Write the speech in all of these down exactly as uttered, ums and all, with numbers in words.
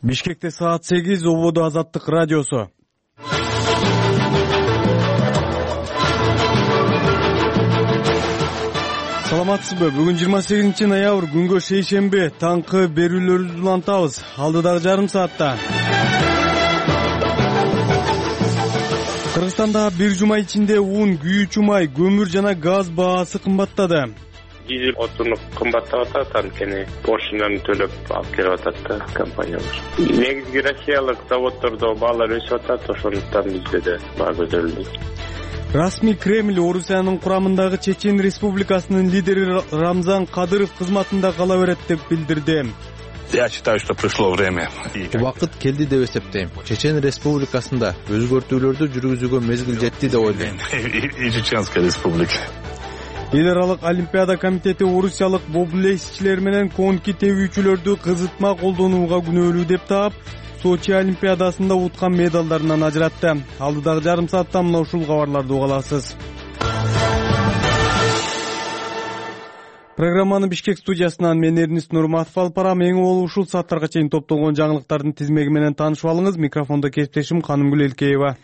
Бишкекте саат сегиз, Ободо Азаттык радиосу. Саламатсызбы? Бүгүн жыйырма сегизинчи ноябрь, күнгө шейшемби, таңкы берүүлөрүбүздү улантабыз. Алдыдагы жарым саатта Кыргызстанда бир жума ичинде ун, күйүүчү май, көмүр жана газ баасы кымбаттады. Дизель отуну кымбаттап атат, анткени пошлинаны төлөп алып келип атат да компаниялар. Негизги россиялык заводдордо баалар өсүп атат, ошондуктан бизде да баа көтөрүлдү. Расмий Кремль Орусиянын курамындагы Чечен Республикасынын лидери Рамзан Кадыров кызматында кала берет деп билдирди. Я считаю, что пришло время. Убакыт келди деп эсептейм. Чечен Республикасында өзгөртүүлөрдү жүргүзүүгө мезгил жетти деп ойлойм. И Чеченская республика. Эл аралык Олимпиада комитети орусиялык боблейсчилер менен конки тебүүчүлөрдү кызытма колдонууга күнөөлүү деп таап, Сочи Олимпиадасында уткан медалдарынан ажыратты. Алдыдагы жарым саатта мына ушул кабарларды уга аласыз. Программаны Бишкек студиясынан мен Эрнис Нурматов алып барам. Эң болуп ушул сааттарга чейин топтолгон жаңылыктардын тизмеги менен таанышып алыңыз. Микрофондо кесиптешим Канымгүл Элкеева.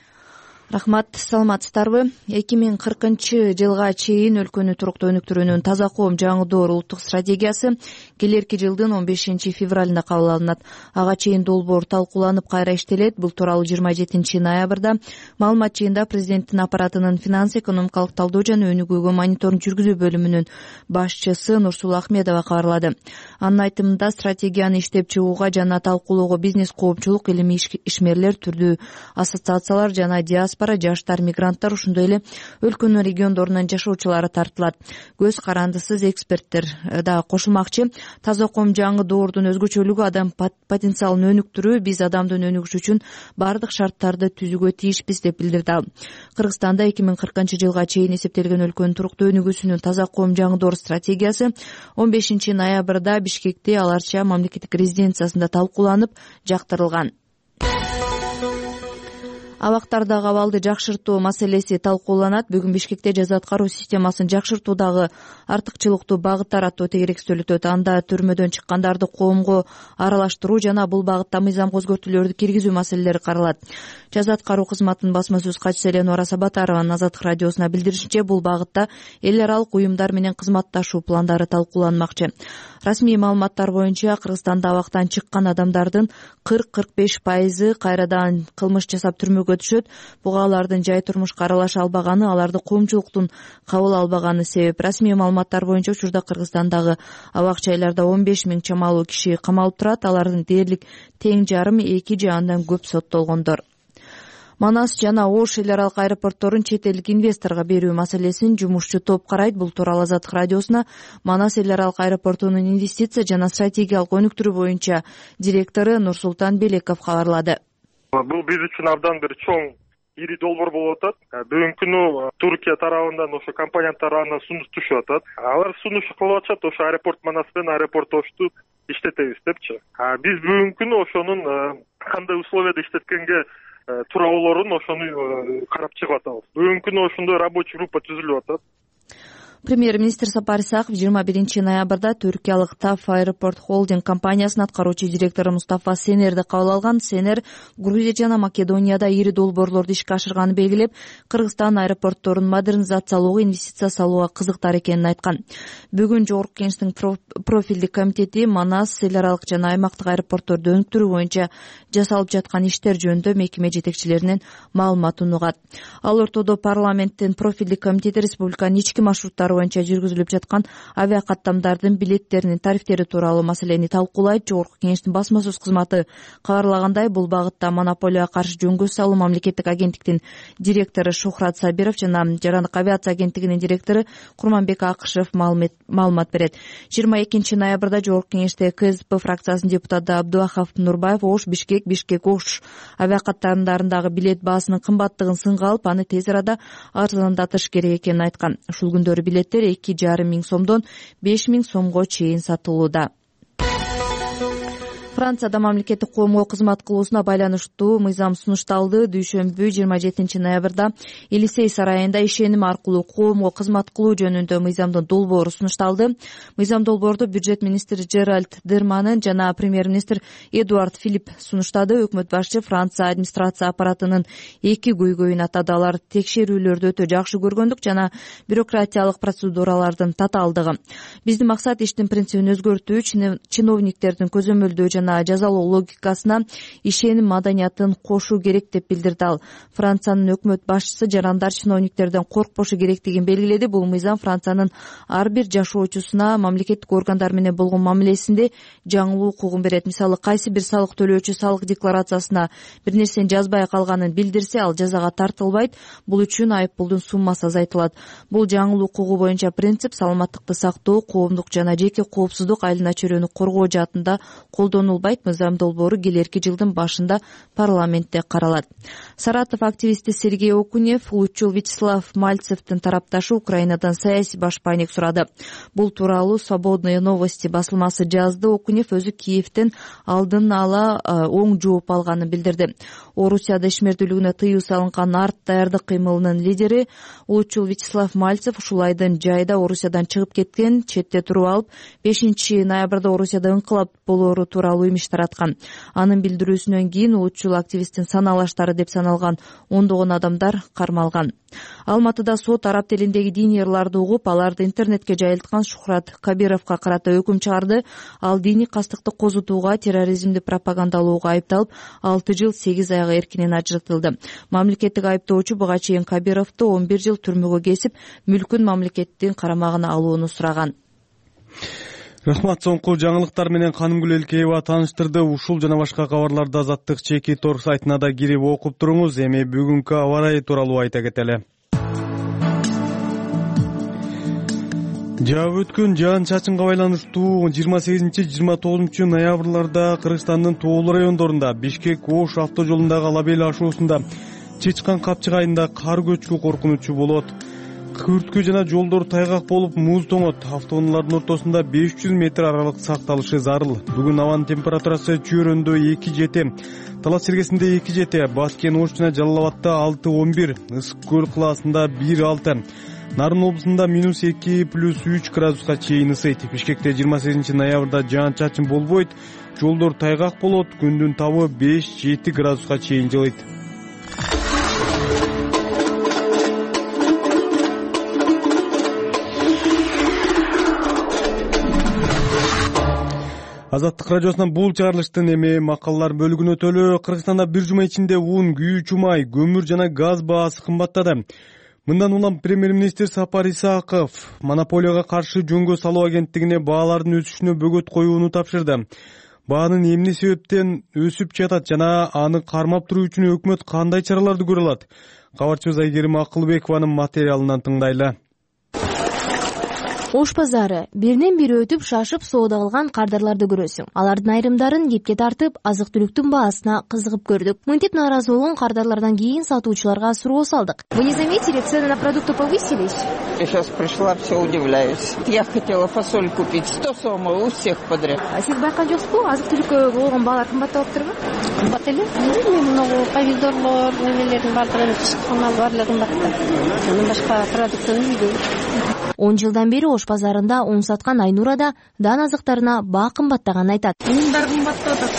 Рахмат, саламатсыздарбы? эки миң кыркынчы жылга чейин өлкөнү туруктуу өнүктүрүүнүн таза коом жаңы улуттук стратегиясы келерки жылдын он бешинчи февралында кабыл алынат. Ага чейин долбоор талкууланып кайра иштелет. Бул тууралуу жыйырма жетинчи ноябрда маалымат жыйында президенттин аппаратынын финанс-экономикалык талдоо жана өнүгүүгө мониторинг жүргүзүү бөлүмүнүн башчысы Нурсулуу Ахмедова кабарлады. Анын айтымында стратегияны иштеп чыгууга жана талкуулоого бизнес, коомчулук, илимий ишмерлер, түрдүү ассоциациялар жана диаспора, жаштар, мигранттар, ошондой эле өлкөнүн региондорунан жашоочулары тартылат. Көз карандысыз эксперттер да кошулмакчы. Таза коом жаңы доордун өзгөчөлүгү адам потенциалын өнүктүрүү, биз адамдын өнүгүшү үчүн баардык шарттарды түзүүгө тийишпиз деп билдирди ал. Кыргызстанда эки миң кыркынчы жылга чейин эсептелген өлкөнүн туруктуу өнүгүүсүнүн таза коом жаңы доор стратегиясы он бешинчи ноябрда Бишкекте Аларча мамлекеттик резиденциясында талкууланып, жактырылган. Абактардагы абалды жакшыртуу маселеси талкууланат. Бүгүн Бишкекте жаза аткаруу системасын жакшыртуудагы артыкчылыктуу багыттар аттуу тегерекстөл өтөт. Анда түрмөдөн чыккандарды коомго аралаштыруу жана бул багытта мыйзамга өзгөртүүлөрдү киргизүү маселелери каралат. Жаза аткаруу кызматынын басма сөз катчысы Эленора Сабатарованын Азаттык радиосуна билдиришинче, бул багытта эл аралык уюмдар менен кызматташуу пландары талкууланмакчы. Расмий маалыматтар боюнча Кыргызстанда абактан чыккан адамдардын кырк кырк беш пайызы кайрадан кылмыш жасап түрмөгө түшөт. Буга алардын жай турмушка аралаша албаганы, аларды коомчулуктун кабыл албаганы себеп. Расмий маалыматтар боюнча учурда Кыргызстандагы абак жайларда он беш миң чамалуу киши камалып турат. Алардын дээрлик тең жарымы эки же андан көп соттолгондор. Манас жана Ош эл аралык аэропортторун чет элдик инвесторго берүү маселесин жумушчу топ карайт. Бул тууралуу Азаттык радиосуна Манас эл аралык аэропортунун инвестиция жана стратегиялык өнүктүрүү боюнча директору Нурсултан Белеков кабарлады. Бул биз үчүн абдан бир чоң ири долбоор болуп атат. Бүгүнкү күнү Туркия тарабынан ошо компания тарабынан сунуш түшүп атат. Алар сунуш кылып атышат, ошо аэропорт Манас менен аэропорт Ошту иштетебиз депчи. Биз бүгүнкү күнү ошонун кандай условияда иштеткенге туура болорун ошону карап чыгып атабыз. Бүгүнкү күнү ошондой рабочий группа түзүлүп атат. Премьер-министр Сапар Исаков жыйырма биринчи ноябрда түркиялык ТАФ Аэропорт Холдинг компаниясынын аткаруучу директору Мустафа Сенерди кабыл алган. Сенер Грузия жана Македонияда ири долбоорлорду ишке ашырганын белгилеп, Кыргызстан аэропортторун модернизациялоого, инвестиция салууга кызыктар экенин айткан. Бүгүн Жогорку Кеңештин профилдик комитети Манас эл аралык жана аймактык аэропортторду өнүктүрүү боюнча жасалып жаткан иштер жөнүндө мекеме жетекчилеринен маалыматын угат. Ал ортодо парламенттин профилдик комитети республиканын ички маршруттары боюнча жүргүзүлүп жаткан авиакаттамдардын билеттеринин тарифтери тууралуу маселени талкуулайт. Жогорку Кеңештин басма сөз кызматы кабарлагандай, бул багытта монополияга каршы жөнгө салуу мамлекеттик агенттиктин директору Шухрат Сабиров жана Жарандык авиация агенттигинин директору Курманбек Акышев маалымат берет. жыйырма экинчи ноябрда Жогорку Кеңеште КСДП фракциясынын депутаты Абдуахов Нурбаев Ош Бишкек, Бишкек Ош авиакаттамдарындагы билет баасынын кымбаттыгын сынга алып, аны тез арада арзандатыш керек экенин айткан. Ушул күндөрү билеттер эки жарым миң сомдон беш миң сомго чейин сатылууда. Францияда мамлекеттик коомго кызмат кылуусуна байланыштуу мыйзам сунушталды. Дүйшөмбү жыйырма жетинчи ноябрда Элисей сарайында ишеним аркылуу коомго кызмат кылуу жөнүндө мыйзамдын долбоору сунушталды. Мыйзам долбоорду бюджет министри Жеральд Дерманен жана премьер-министр Эдуард Филипп сунуштады. Өкмөт башчы Франция администрация аппаратынын эки көйгөйүн атады. Алар текшерүүлөрдү өтө жакшы көргөндүк жана бюрократиялык процедуралардын татаалдыгы. Биздин максат иштин принцибин өзгөртүү, чиновниктердин көзөмөлдөө жана жазалоо логикасына ишеним маданиятын кошуу керек деп билдирди ал. Франциянын өкмөт башчысы жарандар чиновниктерден коркпошу керектигин белгиледи. Бул мыйзам Франциянын ар бир жашоочусуна мамлекеттик органдар менен болгон мамилесинде жаңылуу укугун берет. Мисалы, кайсы бир салык төлөөчү салык декларациясына бир нерсени жазбай калганын билдирсе, ал жазага тартылбайт. Бул үчүн айып пулдун суммасы азайтылат. Бул жаңылуу укугу боюнча принцип саламаттыкты сактоо, коомдук жана жеке коопсуздук, айлана чөйрөнү коргоо жаатында колдонулбайт. Мыйзам долбоору келерки жылдын башында парламентте каралат. Саратов активисти Сергей Окунев улутчул Вячеслав Мальцевдин тарапташы Украинадан саясий башпайник сурады. Бул тууралуу Свободные новости басылмасы жазды. Окунев өзү Киевден алдын ала оң жооп алганын билдирди. Орусияда ишмердүүлүгүнө тыюу салынган арт даярдык кыймылынын лидери улутчул Вячеслав Мальцев ушул айдын жайда Орусиядан чыгып кеткен, четте туруп алып, бешинчи ноябрда Орусияда ыңкылап болоору тууралуу имиш тараткан. Анын билдирүүсүнөн кийин улутчул активисттин саналаштары деп саналган ондогон адамдар кармалган. Алматыда сот араб тилиндеги диний ырларды угуп, аларды интернетке жайылткан Шухрат Кабировго карата өкүм чыгарды. Ал диний кастыкты козутууга, терроризмди пропагандалоого айыпталып, алты жыл сегиз айга эркинен ажыратылды. Мамлекеттик айыптоочу буга чейин Кабировду он бир жыл түрмөгө кесип, мүлкүн мамлекеттин карамагына алууну сураган. Рахмат, соңку жаңылыктар менен Канымгүл Элкеева тааныштырды. Ушул жана башка кабарларды Азаттык чеки торг сайтына да кирип окуп туруңуз. Эми бүгүнкү аба ырайы тууралуу айта кетели. Жаап өткөн жаан чачынга байланыштуу жыйырма сегизинчи жыйырма тогузунчу ноябрларда Кыргызстандын тоолуу райондорунда Бишкек-Ош автожолундагы Алабел ашуусунда Чычкан Капчык айында кар көчкү коркунучу болот. Күрткү жана жолдор тайгак болуп, муз тоңот. Автоунаалардын ортосунда беш жүз метр аралык сакталышы зарыл. Бүгүн абанын температурасы Чөйрөндө эки жети, Талас Сергесинде эки жети, Баткен Ош жана Жалал Абадта алты он бир, Ысык көл кылаасында бир алты, Нарын облусунда минус эки плюс үч градуска чейин ысыйт. Бишкекте жыйырма сегизинчи ноябрда жаан чачын болбойт, жолдор тайгак болот, күндүн табы беш жети градуска чейин жылыйт. Азаттык радиосунан бул чыгарылыштын эми макалалар бөлүгүнө өтөлү. Кыргызстанда бир жума ичинде ун, күйүүчү май, көмүр жана газ баасы кымбаттады. Мындан улам премьер-министр Сапар Исаков монополияга каршы жөнгө салуу агенттигине баалардын өсүшүнө бөгөт коюуну тапшырды. Баанын эмне себептен өсүп жатат жана аны кармап туруу үчүн өкмөт кандай чараларды көрө алат? Кабарчыбыз Айгерим Акылбекованын материалынан тыңдайлы. Ош базары биринен бири өтүп шашып соода кылган кардарларды көрөсүң. Алардын айрымдарын кепке тартып, азык-түлүктүн баасына кызыгып көрдүк. Мынтип нааразы болгон кардарлардан кийин сатуучуларга суроо салдык. Вы не заметили, цены на продукты повысились? Я сейчас пришла, все удивляюсь. Я хотела фасоль купить, сто сомов у всех подряд. А сиз байкаган жоксузбу? Азык-түлүккө болгон баалар кымбаттап атыптырбы? Кымбат эле. Мен могу помидорлор, немелердин баардыгын чыккан баардыгы кымбатта. Андан башка продуктаны үйдө. он жылдан бери Ош базарында un саткан Айнура да дан азыктарына баа кымбаттаганын айтат. Ундар кымбаттап атат.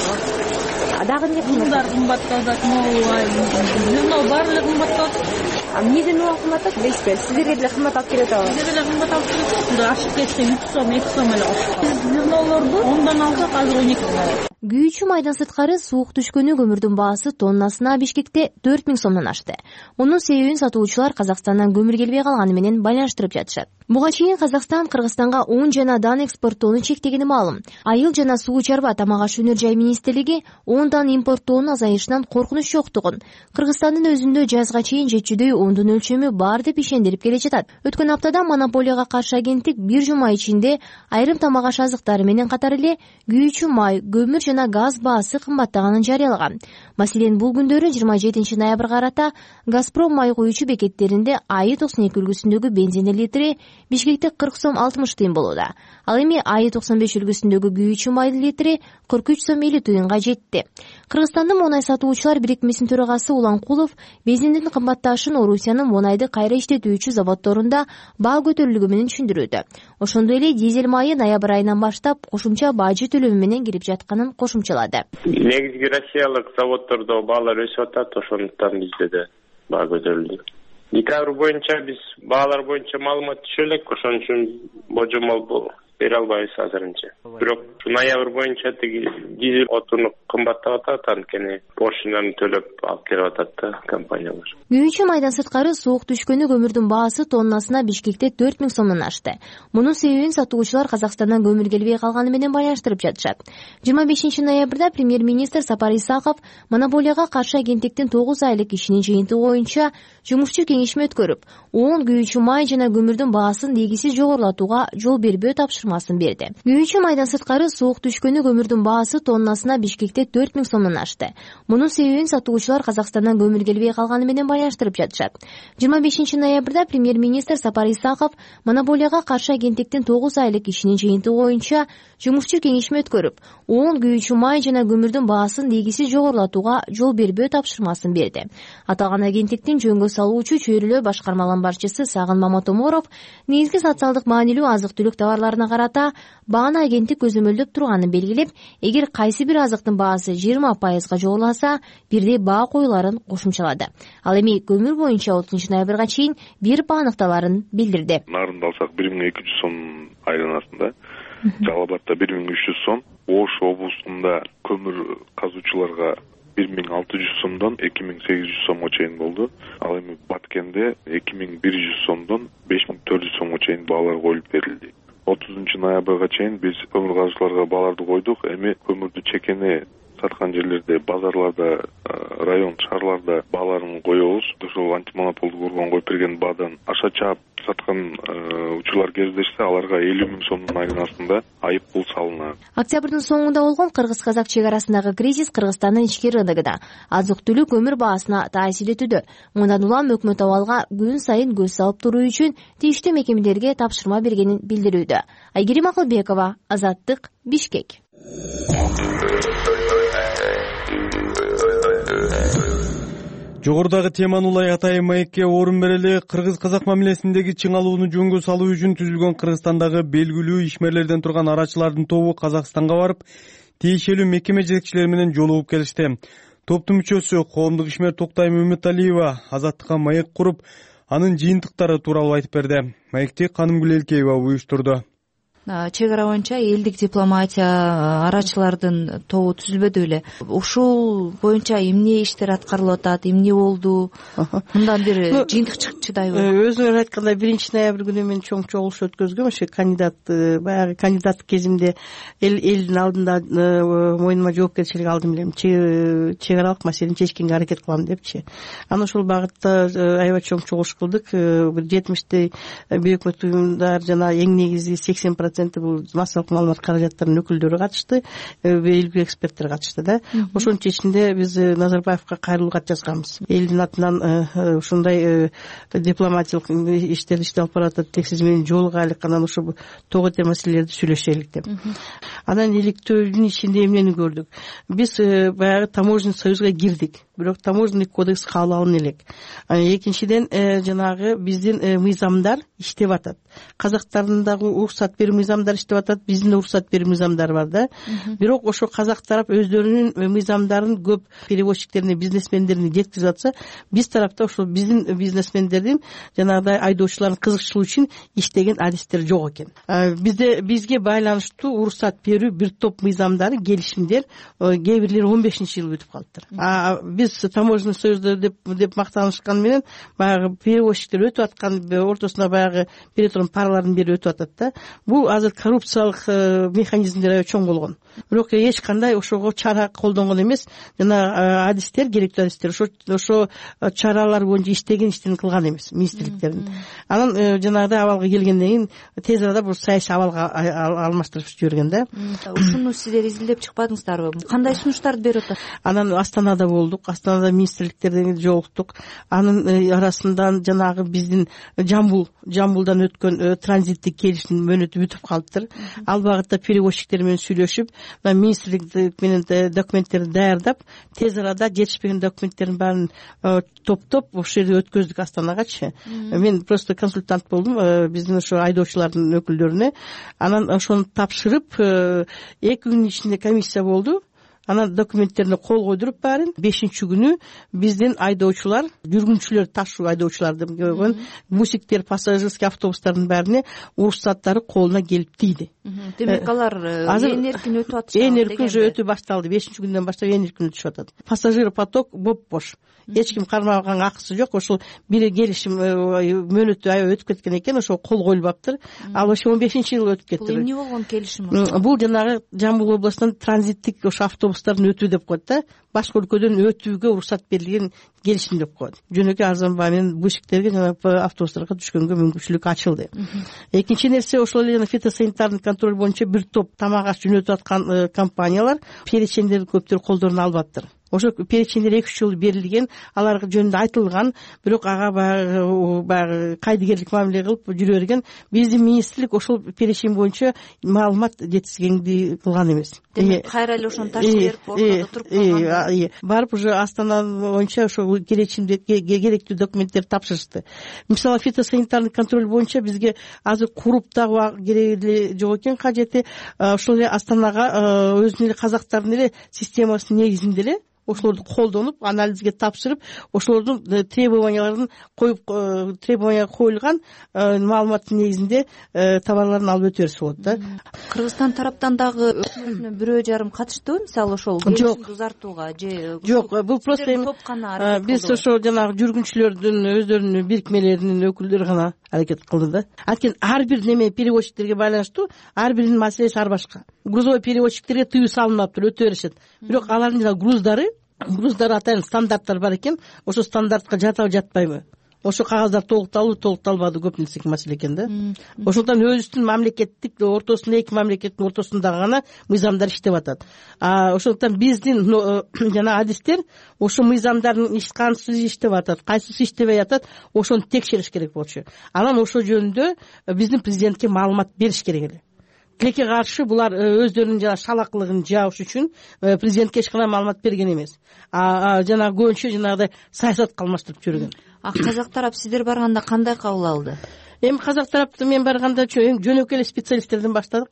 А дагы эмне кымбат? Ундар кымбаттап атат, могу баардыгы кымбаттап атат. А эмнеден улам кымбаттап? Дейсизби? Сиздерге деле кымбат алып келет атабы? Сиздерге деле кымбат алып келет. Мында ашып кетсе үч сом, эки сом эле ашып. Биз журналорду ондан алсак азыр он эки сом. Күйүүчү майдан сырткары суук түшкөнү көмүрдүн баасы тоннасына Бишкекте төрт миң сомдон ашты. Мунун себебин сатуучулар Казакстандан көмүр келбей калганы менен байланыштырып жатышат. Буга чейин Казакстан Кыргызстанга un жана дан экспорттоону чектегени маалым. Айыл жана суу чарба тамак аш өнөр жай министрлиги ундан импорттоонун азайышынан коркунуч жоктугун, Кыргызстандын өзүндө жазга чейин жетчүдөй ундун өлчөмү бар деп ишендирип келе жатат. Өткөн аптада монополияга каршы агенттик бир жума ичинде айрым тамак аш азыктары менен катар эле күйүүчү май, көмүр жана газ баасы кымбаттаганын жарыялаган. Маселен, бул күндөрү жыйырма жетинчи ноябрга карата Газпром май куюучу бекеттеринде АИ токсон эки үлгүсүндөгү бензин литри Бишкекте кырк сом алтымыш тыйын болууда. Ал эми АИ токсон беш үлгүсүндөгү күйүүчү майдын литри кырк үч сом элүү тыйынга жетти. Кыргызстандын монай сатуучулар бирикмесинин төрагасы Уланкулов бензиндин кымбатташын Орусиянын монайды кайра иштетүүчү заводдорунда баа көтөрүлүгү менен түшүндүрүүдө. Ошондой эле дизель майы ноябрь айынан баштап кошумча бажы төлөмү менен кирип жатканын кошумчалады. Негизги россиялык заводдордо баалар өсүп атат, ошондуктан бизде да баа көтөрүлдү. Декабрь боюнча биз баалар боюнча маалымат түшө элек, ошон үчүн божомол бере албайбыз азырынча. Бирок ноябрь боюнча тиги дизель отуну кымбаттап атат, анткени поршньдарын төлөп алып келип атат да компаниялар. Күйүүчү майдан сырткары суук түшкөнү көмүрдүн баасы тоннасына Бишкекте төрт миң сомдон ашты. Мунун себебин сатуучулар Казакстандан көмүр келбей калганы менен байланыштырып жатышат. жыйырма бешинчи ноябрда премьер-министр Сапар Исаков монополияга каршы агенттиктин тогуз айлык ишинин жыйынтыгы боюнча жумушчу кеңешме өткөрүп, он күйүүчү май жана көмүрдүн баасын дегисиз жогорулатууга жол бербөө тапшырмасын берди. Күйүүчү майдан сырткары суук түшкөнү көмүрдүн баасы тоннасына Бишкекте төрт миң сомдон ашты. Мунун себебин сатуучулар Казакстандан көмүр келбей калганы менен байланыштырып жатышат. жыйырма бешинчи ноябрда премьер-министр Сапар Исаков монополияга каршы агенттиктин тогуз айлык ишинин жыйынтыгы боюнча жумушчу кеңешме өткөрүп, он күйүүчү май жана көмүрдүн баасын дегисиз жогорулатууга жол бербөө тапшырмасын берди. Аталган агенттиктин жөнгө салуучу чөйрөлөө башкармаларынын башчысы Сагын Маматоморов негизги социалдык маанилүү азык-түлүк товарларына карата бааны агенттик көзөмөлдөп турганын белгилеп, эгер кайсы бир азыктын баасы жыйырма пайызга жогоруласа, бирдей баа коюларын кошумчалады. Ал эми көмүр боюнча отузунчу ноябрга чейин бир баа аныкталарын билдирди. Нарында алсак бир миң эки жүз сом айланасында, Жалал Абадта бир миң үч жүз сом, Ош облусунда көмүр казуучуларга бир миң алты жүз сомдон эки миң сегиз жүз сомго чейин болду. Ал эми Баткенде эки миң бир жүз сомдон беш миң төрт жүз сомго чейин баалар коюлуп берилди. отузунчу ноябрга чейин биз көмүр казуучуларга бааларды койдук. Эми көмүрдү чекене саткан жерлерде, базарларда, район шаарларда бааларын коебуз. Ошол антимонополдук орган коюп берген баадан аша чаап саткан учурлар кездешсе, аларга элүү миң сомдун айланасында айып пул салынат. Октябрдын соңунда болгон кыргыз-казак чек арасындагы кризис Кыргызстандын ички рыногунда азык-түлүк көмүр баасына таасир этүүдө. Мындан улам өкмөт абалга күн сайын көз салып туруу үчүн тийиштүү мекемелерге тапшырма бергенин билдирүүдө. Айгерим Акылбекова, Азаттык, Бишкек. Жогорудагы теманы улай атайын маекке орун берели. Кыргыз-казак мамилесиндеги чыңалууну жөнгө салуу үчүн түзүлгөн Кыргызстандагы белгилүү ишмерлерден турган арачылардын тобу Казакстанга барып, тиешелүү мекеме жетекчилери менен жолугуп келишти. Топтун мүчөсү коомдук ишмер Токтайым Үмүталиева Азаттыкка маек куруп, анын жыйынтыктары тууралуу айтып берди. Маекти Канымгүл Элкеева уюштурду. Чек ара боюнча элдик дипломатия арачылардын тобу түзүлбөдү беле. Ушул боюнча эмне иштер аткарылып атат, эмне болду? Мындан бир жыйынтык чыдайбы? Өзүңөр айткандай биринчи ноябрь күнү мен чоң чогулуш өткөзгөм. Ошо кандидат баягы кандидаттык кезимде эл элдин алдында мойнума жоопкерчилик алдым элем. Чек аралык маселени чечкенге аракет кылам депчи. Анан ошол багытта аябай чоң чогулуш кылдык. Бир жетимиштей бейөкмөт уюмдар жана эң негизи сексен процент бул массалык маалымат каражаттарынын өкүлдөрү катышты, белгилүү эксперттер катышты да. Ошонун ичинде биз Назарбаевка кайрылуу кат жазганбыз. Элдин атынан ушундай дипломатиялык иштерди иште алып баратат, тек сиз менен жолугайлык, анан ошо того эте маселелерди сүйлөшөлүк деп. Анан иликтөөнүн ичинде эмнени көрдүк? Биз баягы таможенный союзга кирдик, бирок таможенный кодекс кабыл алына элек. Экинчиден жанагы биздин мыйзамдар иштеп атат. Казактардын дагы уруксат берүү мыйзамдары иштеп атат, биздин да уруксат берүү мыйзамдары бар да. Бирок ошо казак тарап өздөрүнүн мыйзамдарын көп перевозчиктерине, бизнесмендерине жеткизип атса, биз тарапта ошол биздин бизнесмендердин жанагыдай айдоочулардын кызыкчылыгы үчүн иштеген адистер жок экен. Бизде бизге байланыштуу уруксат берүү бир топ мыйзамдары, келишимдер кээ бирлери он бешинчи жылы өтүп калыптыр. А биз таможенный союзда деп деп мактанышкан менен баягы перевозчиктер өтүп аткан ортосуна баягы бере турган паралардын бери өтүп атат да. Бул азыр коррупциялык механизмдер аябай чоң болгон. Бирок эч кандай ошого чара колдонгон эмес. Жана адистер, керектүү адистер ошо ошо чаралар боюнча иштеген иштерин кылган эмес министрликтердин. Анан жанагыдай абалга келгенден кийин тез арада бул саясий абалга алмаштырып жиберген да. Ушуну сиздер изилдеп чыкпадыңыздарбы? Кандай сунуштарды берип атат? Анан Астанада болдук. Астанада министрликтерден жолуктук. Анын арасынан жанагы биздин Жамбул Жамбулдан өткөн транзиттик келишим мөөнөтү бүтүп калыптыр. Ал багытта перевозчиктер менен сүйлөшүп, министрлик менен документтерди даярдап, тез арада жетишпеген документтердин баарын топтоп ошол жерде өткөздүк Астанагачы. Мен просто консультант болдум биздин ошо айдоочулардын өкүлдөрүнө. Анан ошону тапшырып, эки күн ичинде комиссия болду. Анан документтерине кол койдуруп баарын бешинчи күнү биздин айдоочулар, жүргүнчүлөр, ташуу айдоочуларды койгон бусиктер, пассажирский автобустардын баарына уруксаттары колуна келип тийди. Демек алар ээн эркин өтүп атышат. Ээн эркин уже өтүп башталды. бешинчи күндөн баштап ээн эркин өтүшүп атат. Пассажир поток боп-бош. Эч ким кармаган, акысы жок. Ошол бир келишим мөөнөтү аябай өтүп кеткен экен, ошол кол коюлбаптыр. Ал ошо он бешинчи жылы өтүп кетти. Бул эмне болгон келишим? Бул жанагы Жамбыл областынан транзиттик ошо автобустардын өтүү деп коет да. Башка өлкөдөн өтүүгө уруксат берилген келишим деп коет. Жөнөкөй арзан баа менен бусиктерге жана автобустарга түшкөнгө мүмкүнчүлүк ачылды. Экинчи нерсе, ошол эле фитосанитардык контроль боюнча бир топ тамак аш жөнөтүп аткан компаниялар перечендерди көптөр колдоруна албаптыр. Ошо перечендер эки үч жыл берилген, аларга жөнүндө айтылган, бирок ага баягы кайдыгерлик мамиле кылып жүрө берген. Биздин министрлик ошол перечень боюнча маалымат жетишкенди кылган эмес. Демек кайра эле ошону таштап берип ортодо туруп калган. Барып уже Астана боюнча ошол переченде керектүү документтерди тапшырышты. Мисалы фитосанитардык контроль боюнча бизге азыр куруп дагы керек эле жок экен кажети. Ошол эле Астанага өзүнүн эле казактардын эле системасынын негизинде эле ошолорду колдонуп, анализге тапшырып, ошолордун требованияларын коюп, требования коюлган маалыматтын негизинде товарларын алып өтө берсе болот да. Кыргызстан тараптан дагы өкмөтүнө бирөө жарым катыштыбы, мисалы ошол келишимди узартууга же? Жок, бул просто биз ошо жанагы жүргүнчүлөрдүн өздөрүнүн бирикмелеринин өкүлдөрү гана аракет кылды да. Анткени ар бир неме перевозчиктерге байланыштуу, ар биринин маселеси ар башка. Грузовой перевозчиктерге тыюу салынмаптыр, өтө беришет. Бирок алардын жана груздары груздар атайын стандарттар бар экен. Ошо стандартка жатабы, жатпайбы? Ошо кагаздар толукталбы, толукталбады, көп нерсеге маселе экен да. Ошондон өзүбүздүн мамлекеттик ортосунда, эки мамлекеттин ортосунда гана мыйзамдар иштеп атат. А ошондон биздин жана адистер ошо мыйзамдардын иш кансыз иштеп атат, кайсысы иштебей атат, ошону текшериш керек болчу. Анан ошо жөнүндө биздин президентке маалымат бериш керек эле. Тилекке каршы булар өздөрүнүн жана шалакылыгын жабыш үчүн президентке эч кандай маалымат берген эмес. А жана көбүнчө жанагыдай саясатка алмаштырып жүргөн. А казак тарап сиздер барганда кандай кабыл алды? Эми казак тарапты мен барганда жөнөкөй эле специалисттерден баштадык.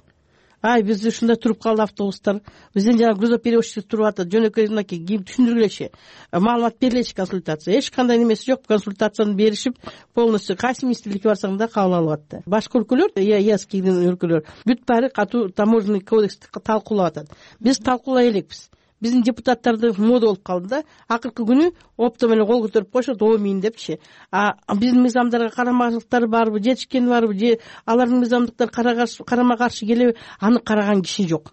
Ай, биз ушунда туруп калды автобустар. Биздин жана грузоперевозчиктер туруп атат. Жөнөкөй мынакей кийин түшүндүргүлөчү. Маалымат берилечи, консультация. Эч кандай немеси жок. Консультацияны беришип, полностью кайсы министрликке барсаң да кабыл алып атты. Башка өлкөлөр, ЕАЭСкийдин өлкөлөр бүт баары катуу таможенный кодексти талкуулап атат. Биз талкуулай элекпиз. Биздин депутаттарды мода болуп калды да. Акыркы күнү опто менен кол көтөрүп коюшат, оомин депчи. А биздин мыйзамдарга карамачылыктар барбы, жетишкен барбы, же алардын мыйзамдыктары карама каршы келеби, аны караган киши жок.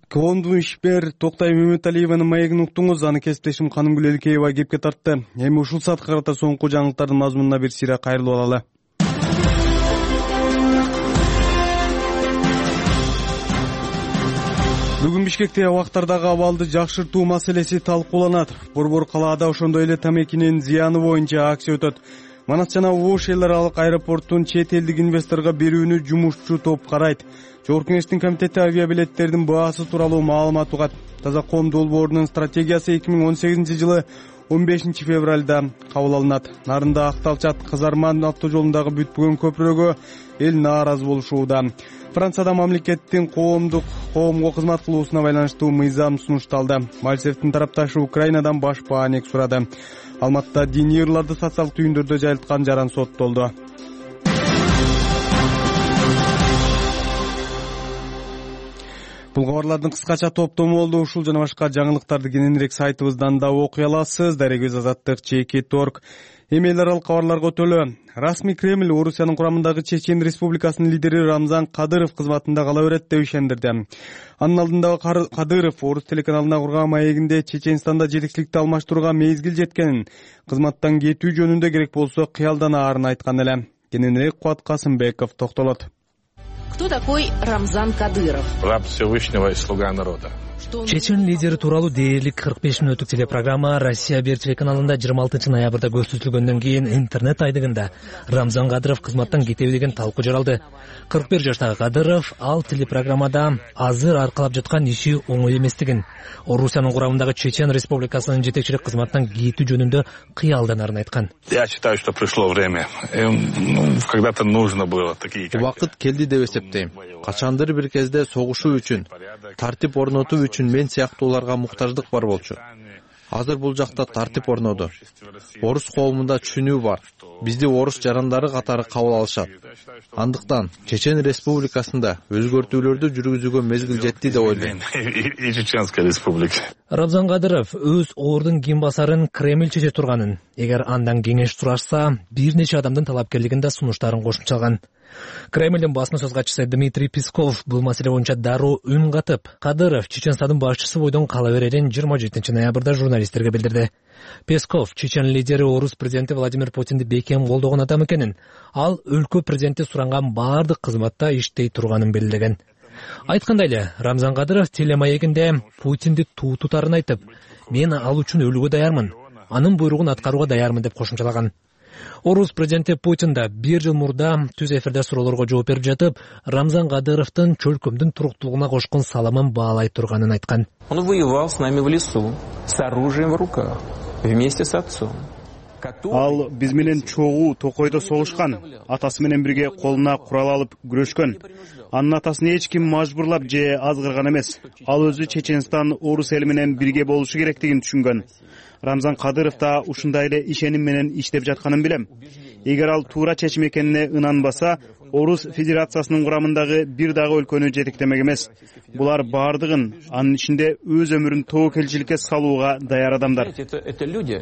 Коомдун ишмер Токтай Мөмөталиеванын маегин уктуңуз. Аны кесиптешим Канымгүл Элкеева кепке тартты. Эми ушул саатка карата соңку жаңылыктардын мазмунуна бир сыйра кайрылып алалы. Бүгүн Бишкекте абактардагы абалды жакшыртуу маселеси талкууланат. Борбор калаада ошондой эле тамекинин зыяны боюнча акция өтөт. Манас жана Ош эл аралык аэропорттун чет элдик инвесторго берүүнү жумушчу топ карайт. Жогорку Кеңештин комитети авиабилеттердин баасы тууралуу маалымат угат. Таза коом долбоорунун стратегиясы эки миң он сегизинчи жылы он бешинчи февралда кабыл алынат. Нарында Акталчат Кызарман автожолундагы бүтпөгөн көпүрөгө эл нааразы болушууда. Францияда мамлекеттин коомдук коомго кызмат кылуусуна байланыштуу мыйзам сунушталды. Мальцевдин тарапташы Украинадан баш бааник сурады. Алматыда диний ырларды социалдык түйүндөрдө жайылткан жаран соттолду. Бул кабарлардын кыскача топтому болду. Ушул жана башка жаңылыктарды кененирээк сайтыбыздан да окуй аласыз. Дарегөз Азаттык чекит точка орг. Эми эл аралык кабарларга өтөлү. Расмий Кремль Орусиянын курамындагы Чечен Республикасынын лидери Рамзан Кадыров кызматында кала берет деп ишендирди. Анын алдында Кадыров Орус телеканалына курган маегинде Чеченстанда жетекчиликти алмаштырууга мезгил жеткенин, кызматтан кетүү жөнүндө керек болсо кыялданаарын айткан эле. Кененирээк Кубат Касымбеков токтолот. Кто такой Рамзан Кадыров? Раб Всевышнего и слуга народа. Чечен лидери тууралуу дээрлик кырк беш мүнөттүк телепрограмма Россия бир телеканалында жыйырма алтынчы ноябрда көрсөтүлгөндөн кийин интернет айдыгында Рамзан Кадыров кызматтан кетеби деген талкуу жаралды. кырк бир жаштагы Кадыров ал телепрограммада азыр аркалап жаткан иши оңой эместигин, Орусиянын курамындагы Чечен Республикасынын жетекчилик кызматтан кетүү жөнүндө кыялданарын айткан. Я считаю, что пришло время. Когда-то нужно было такие. Убакыт келди деп эсептейм. Качандыр бир кезде согушуу үчүн, тартип орнотуу үчүн мен сыяктууларга муктаждык бар болчу. Азыр бул жакта тартип орноду. Орус коомунда түшүнүү бар. Бизди орус жарандары катары кабыл алышат. Андыктан Чечен Республикасында өзгөртүүлөрдү жүргүзүүгө мезгил жетти деп ойлойм. И Чеченская республика. Рамзан Кадыров өз ордун ким басарын Кремль чече турганын, эгер андан кеңеш сурашса, бир нече адамдын талапкерлигин да сунуштарын кошумчалган. Кремльдин басма сөз катчысы Дмитрий Песков бул маселе боюнча дароо үн катып, Кадыров Чеченстандын башчысы бойдон кала берерин жыйырма жетинчи ноябрда журналисттерге билдирди. Песков Чечен лидери орус президенти Владимир Путинди бекем колдогон адам экенин, ал өлкө президенти суранган баардык кызматта иштей турганын белгилеген. Айткандай эле, Рамзан Кадыров телемаегинде Путинди туу тутарын айтып, мен ал үчүн өлүүгө даярмын, анын буйругун аткарууга даярмын деп кошумчалаган. Орус президенти Путин да бир жыл мурда түз эфирде суроолорго жооп берип жатып, Рамзан Кадыровдун чөлкөмдүн туруктуулугуна кошкон салымын баалай турганын айткан. Он воевал с нами в лесу, с оружием в руках, вместе с отцом. Ал биз менен чогуу токойдо согушкан, атасы менен бирге колуна курал алып күрөшкөн. Анын атасын эч ким мажбурлап же азгырган эмес. Ал өзү Чеченстан орус эли менен бирге болушу керектигин түшүнгөн. Рамзан Кадыров да ушундай эле ишеним менен иштеп жатканын билем. Эгер ал туура чечим экенине ынанбаса, Орус Федерациясынын курамындагы бир дагы өлкөнү жетектемек эмес. Булар баардыгын, анын ичинде өз өмүрүн тобокелчиликке салууга даяр адамдар. Это люди,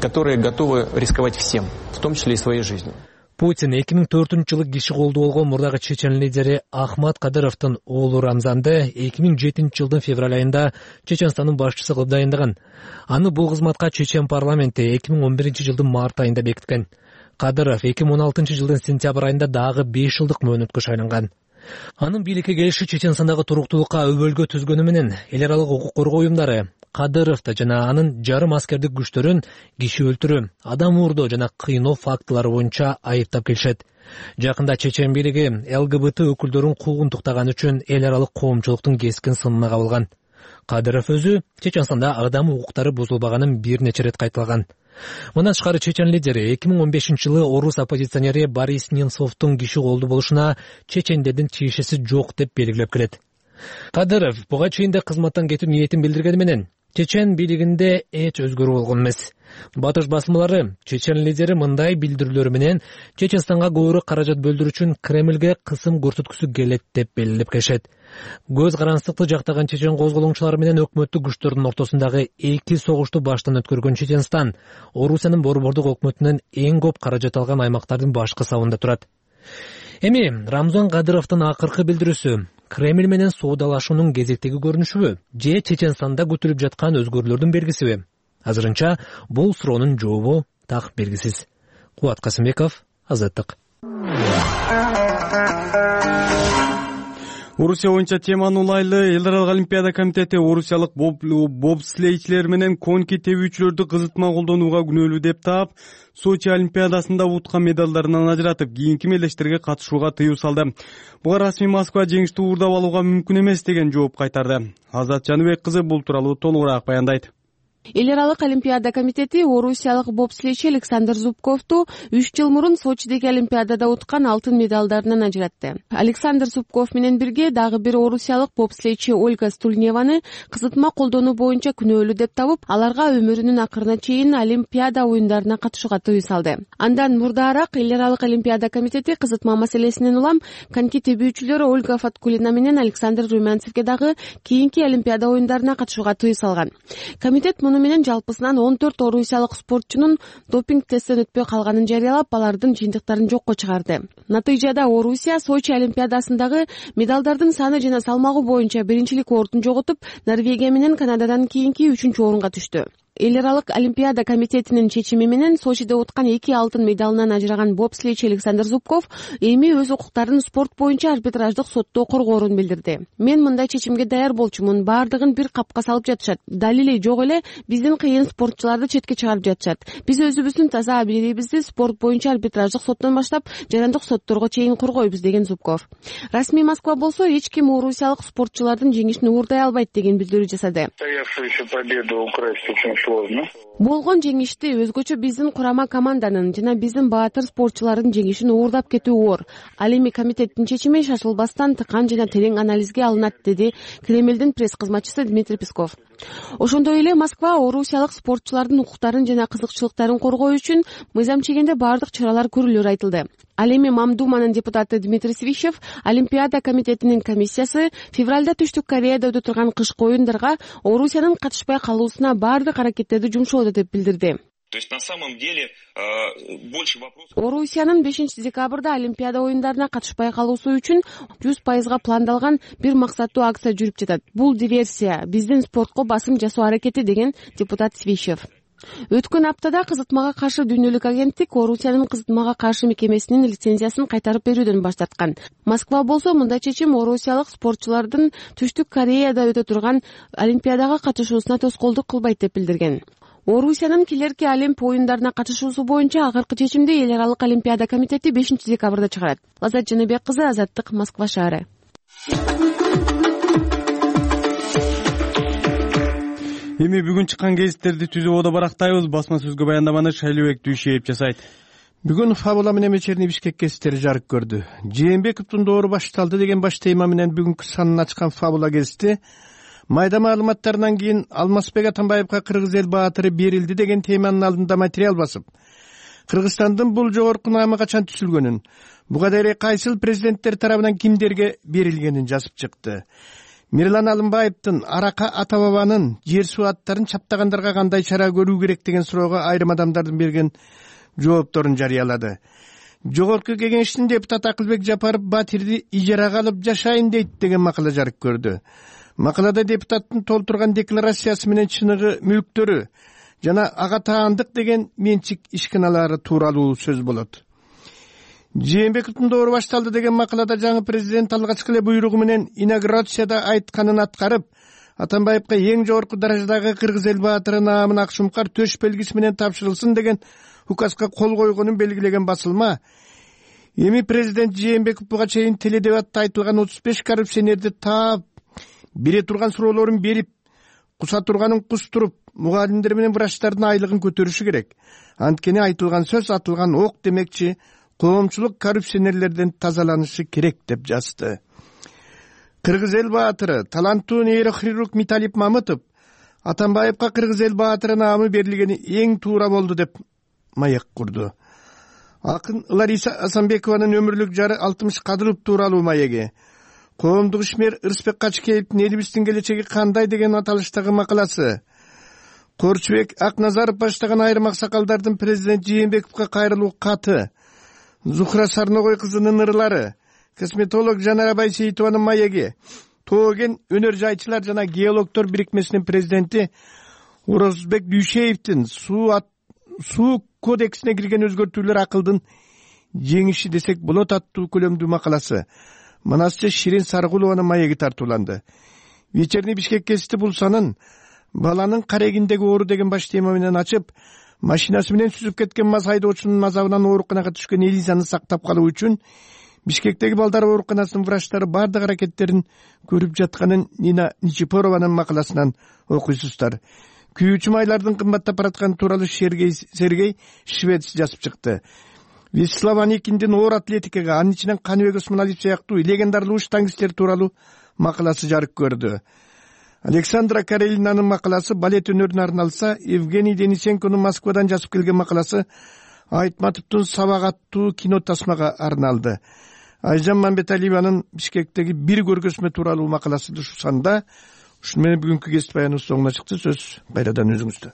которые готовы рисковать всем, в том числе и своей жизнью. Путин эки миң төртүнчү жылы киши колдуу болгон мурдагы Чечен лидери Ахмат Кадыровдун оолу Рамзанды эки миң жетинчи жылдын февраль айында Чеченстандын башчысы кылып дайындаган. Аны бул кызматка Чечен парламенти эки миң он биринчи жылдын март айында бекиткен. Кадыров эки миң он алтынчы жылдын сентябрь айында дагы беш жылдык мөөнөткө шайланган. Анын бийликке келиши Чеченстандагы туруктуулукка өбөлгө түзгөнү менен эл аралык укук коргоо уюмдары Кадыровду жана анын жарым аскердик күчтөрүн киши өлтүрүү, адам уурдоо жана кыйноо фактылары боюнча айыптап келишет. Жакында Чечен бийлиги Л Г Б Т өкүлдөрүн куугунтуктаган үчүн эл аралык коомчулуктун кескин сынына кабылган. Кадыров өзү Чеченстанда адам укуктары бузулбаганын бир нече ирет кайталаган. Мындан тышкары Чечен лидери эки миң он бешинчи жылы орус оппозиционери Борис Немцовдун киши колдуу болушуна чечендердин тиешеси жок деп белгилеп келет. Кадыров буга чейин да кызматтан кетүү ниетин билдиргени менен Чечен бийлигинде эч өзгөрүү болгон эмес. Батыш басмалары Чечен лидери мындай билдирүүлөр менен Чеченстанга көбүрөөк каражат бөлдүрүү үчүн Кремльге кысым көрсөткүсү келет деп белгилеп келишет. Көз карандыкты жактаган Чечен козголоңчулары менен өкмөттүк күчтөрдүн ортосундагы эки согушту баштан өткөргөн Чеченстан Орусиянын борбордук өкмөтүнөн эң көп каражат алган аймактардын башкы сабында турат. Эми Рамзан Кадыровдун акыркы билдирүүсү Кремль менен соодалашуунун кезектеги көрүнүшүбү же Чеченстанда күтүлүп жаткан өзгөрүүлөрдүн белгисиби? Азырынча бул суроонун жообу так белгисиз. Кубат Касымбеков, Азаттык. Орусия боюнча теманы улайлы эл аралык олимпиада комитети орусиялык бобслейчилер менен коньки тебүүчүлөрдү кызытма колдонууга күнөөлүү деп таап, Сочи олимпиадасында уткан медалдарынан ажыратып, кийинки мелдештерге катышууга тыюу салды. Буга расмий Москва жеңишти уурдап алууга мүмкүн эмес деген жооп кайтарды. Азат Жаныбек кызы бул тууралуу толугураак баяндайт. Эл аралык олимпиада комитети орусиялык бобслейчи Александр Зубковду үч жыл мурун Сочидеги олимпиадада уткан алтын медалдарынан ажыратты. Александр Зубков менен бирге дагы бир орусиялык бобслейчи Ольга Стульневаны кызытма колдонуу боюнча күнөөлүү деп табып, аларга өмүрүнүн акырына чейин олимпиада оюндарына катышууга тыюу салды. Андан мурдаараак эл аралык олимпиада комитети кызытма маселесинен улам коньки тебүүчүлөр Ольга Фаткулина менен Александр Румянцевге дагы кийинки олимпиада оюндарына катышууга тыюу салган. Комитет муну менен жалпысынан он төрт орусиялык спортчунун допинг тесттен өтпөй калганын жарыялап, алардын жыйынтыктарын жокко чыгарды. Натыйжада Орусия Сочи олимпиадасындагы медалдардын саны жана салмагы боюнча биринчилик ордун жоготуп, Норвегия менен Канададан кийинки үчүнчү орунга түштү. эл аралык олимпиада комитетинин чечими менен Сочиде уткан эки алтын медалынан ажыраган бобслейчи Александр Зубков эми өз укуктарын спорт боюнча арбитраждык сотто коргоорун билдирди. Мен мындай чечимге даяр болчумун. Бардыгын бир капка салып жатышат. Далили жок эле биздин кыйын спортчуларды четке чыгарып жатышат. Биз өзүбүздүн таза абийибизди спорт боюнча арбитраждык соттон баштап жарандык сотторго чейин коргойбуз деген Зубков. Расмий Москва болсо эч ким орусиялык спортчулардын жеңишин уурдай албайт деген билдирүү жасады. Болгон жеңишти өзгөчө биздин курама команданын жана биздин баатыр спортчулардын жеңишин уурдап кетүү оор. Ал эми комитеттин чечими шашылбастан тыкан жана терең анализге алынат, деди Кремлдин пресс кызматчысы Дмитрий Песков. Ошондой эле Москва орусиялык спортчулардын укуктарын жана кызыкчылыктарын коргоо үчүн мыйзам чегинде бардык чаралар көрүлөрү айтылды. Ал эми Мамдуманын депутаты Дмитрий Свищев Олимпиада комитетинин комиссиясы февралда Түштүк Кореяда өтө турган кышкы оюндарга Орусиянын катышпай калуусуна бардык аракеттерди жумшоодо деп билдирди. То есть на самом деле больше вопросов. Орусиянын бешинчи декабрда Олимпиада оюндарына катышпай калуусу үчүн жүз пайызга пландалган бир максаттуу акция жүрүп жатат. Бул диверсия, биздин спортко басым жасоо аракети, деген депутат Свищев. Өткөн аптада кызытмага каршы дүйнөлүк агенттик Орусиянын кызытмага каршы мекемесинин лицензиясын кайтарып берүүдөн баш тарткан. Москва болсо мындай чечим орусиялык спортчулардын Түштүк Кореяда өтө турган Олимпиадага катышуусуна тоскоолдук кылбайт деп билдирген. Орусиянын келерки Олимп оюндарына катышуусу боюнча акыркы чечимди эл аралык Олимпиада комитети бешинчи декабрда чыгарат. Лазат Жаныбек кызы, Азаттык, Москва шаары. Эми бүгүн чыккан гезиттерди түзүп ода барактайбыз. Басма сөзгө баяндаманы Шайлыбек Дүйшеев жасайт. Бүгүн Фабула менен вечерний Бишкек гезиттери жарык көрдү. Жээнбековдун доору башталды деген баш тема менен бүгүнкү санын ачкан Фабула гезити майда маалыматтарынан кийин Алмазбек Атамбаевга кыргыз эл баатыры берилди деген теманын алдында материал басып, Кыргызстандын бул жогорку наамы качан түзүлгөнүн, буга дейин кайсыл президенттер тарабынан кимдерге берилгенин жазып чыкты. Мирлан Алымбаевдин Арака ата бабанын жер суу аттарын чаптагандарга кандай чара көрүү керек деген суроого айрым адамдардын берген жоопторун жарыялады. Жогорку кеңештин депутаты Акылбек Жапаров Батирди ижарага алып жашайын дейт деген макала жарык көрдү. Макалада депутаттын толтурган декларациясы менен чыныгы мүлктөрү жана ага таандык деген менчик ишканалары тууралуу сөз болот. Жээнбековдун доору башталды деген макалада жаңы президент алгачкы эле буйругу менен инаугурацияда айтканын аткарып, Атамбаевга эң жогорку даражадагы кыргыз эл баатыры наамын Акшумкар төш белгиси менен тапшырылсын деген указга кол койгонун белгилеген басылма, эми президент Жээнбеков буга чейин теледебатта айтылган отуз беш коррупционерди таап, бере турган суроолорун берип, куса турганын кустуруп, мугалимдер менен врачтардын айлыгын көтөрүшү керек. Анткени айтылган сөз атылган ок демекчи, коомчулук коррупционерлерден тазаланышы керек деп жазды. Кыргыз эл баатыры таланттуу нейрохирург Миталип Мамытов Атамбаевга кыргыз эл баатыры наамы берилгени эң туура болду деп маек курду. Акын Лариса Асанбекованын өмүрлүк жары Алтымыш Кадыров тууралуу маеги, коомдук ишмер Ырысбек Качкеевдин элибиздин келечеги кандай деген аталыштагы макаласы, Корчубек Акназаров баштаган айрым аксакалдардын президент Жээнбековго кайрылуу каты, Зухра Сарногой кызынын ырлары, косметолог Жанара Байсейитованын маеги, Тоген өнөр жайчылар жана геологдор бирикмесинин президенти Орозбек Дүйшеевдин суу суу кодексине кирген өзгөртүүлөр акылдын жеңиши десек болот аттуу көлөмдүү макаласы Манасчы Ширин Саргулованын маеги тартууланды. Вечерний Бишкек гезити бул санын баланын карегиндеги оору деген баш тема менен ачып, машинасы менен сүзүп кеткен мас айдоочунун азабынан ооруканага түшкөн Элизаны сактап калуу үчүн Бишкектеги балдар ооруканасынын врачтары бардык аракеттерин көрүп жатканын Нина Ничипорованын макаласынан окуйсуздар. Күйүүчү майлардын кымбаттап баратканы тууралуу Сергей Сергей Швец жазып чыкты. Вячеслав Аникиндин оор атлетикага, анын ичинен Каныбек Осмоналиев сыяктуу легендарлуу штангисттер тууралуу макаласы жарык көрдү. Александра Карелинанын макаласы балет өнөрүнө арналса, Евгений Денисенконун Москвадан жазып келген макаласы Айтматовдун Сабак аттуу кино тасмага арналды. Айжан Мамбеталиеванын Бишкектеги бир көргөзмө тууралуу макаласы ушу санда. Ушуну менен бүгүнкү гезит баяныбыз соңуна чыкты. Сөз кайрадан өзүңүздө.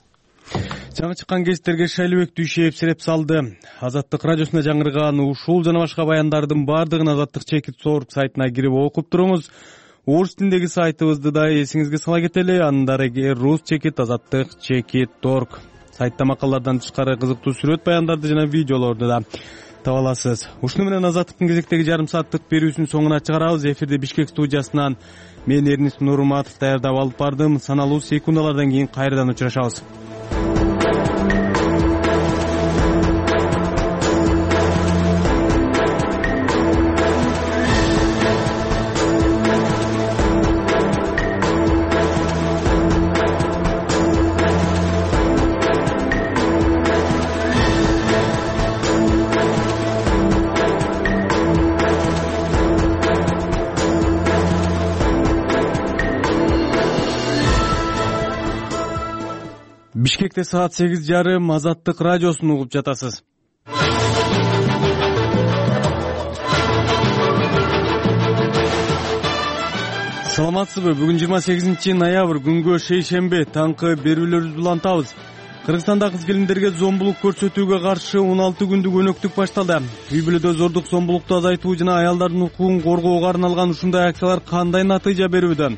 Жаңы чыккан гезиттерге Шайлыбек Дүйшеев сереп салды. Азаттык радиосуна жаңырган ушул жана башка баяндардын баардыгын Азаттык чекит сорп сайтына кирип окуп туруңуз. орус тилиндеги сайтыбызды да эсиңизге сала кетели. Анын дареги рус чекит азаттык чекит торг. Сайтта макалалардан тышкары кызыктуу сүрөт баяндарды жана видеолорду да таба аласыз. Ушуну менен Азаттыктын кезектеги жарым сааттык берүүсүнүн соңуна чыгарабыз. Эфирде Бишкек студиясынан мен Эрнис Нурматов даярдап алып бардым. Саналуу секундалардан кийин кайрадан учурашабыз. Бишкекте саат сегиз жарым Азаттык радиосун угуп жатасыз. Саламатсызбы? Бүгүн жыйырма сегизинчи ноябрь күнгө шейшемби таңкы берүүлөрүбүздү улантабыз. Кыргызстанда кыз келиндерге зомбулук көрсөтүүгө каршы он алты күндүк өнөктүк башталды. Үй бүлөдө зордук зомбулукту азайтуу жана аялдардын укугун коргоого арналган ушундай акциялар кандай натыйжа берүүдө?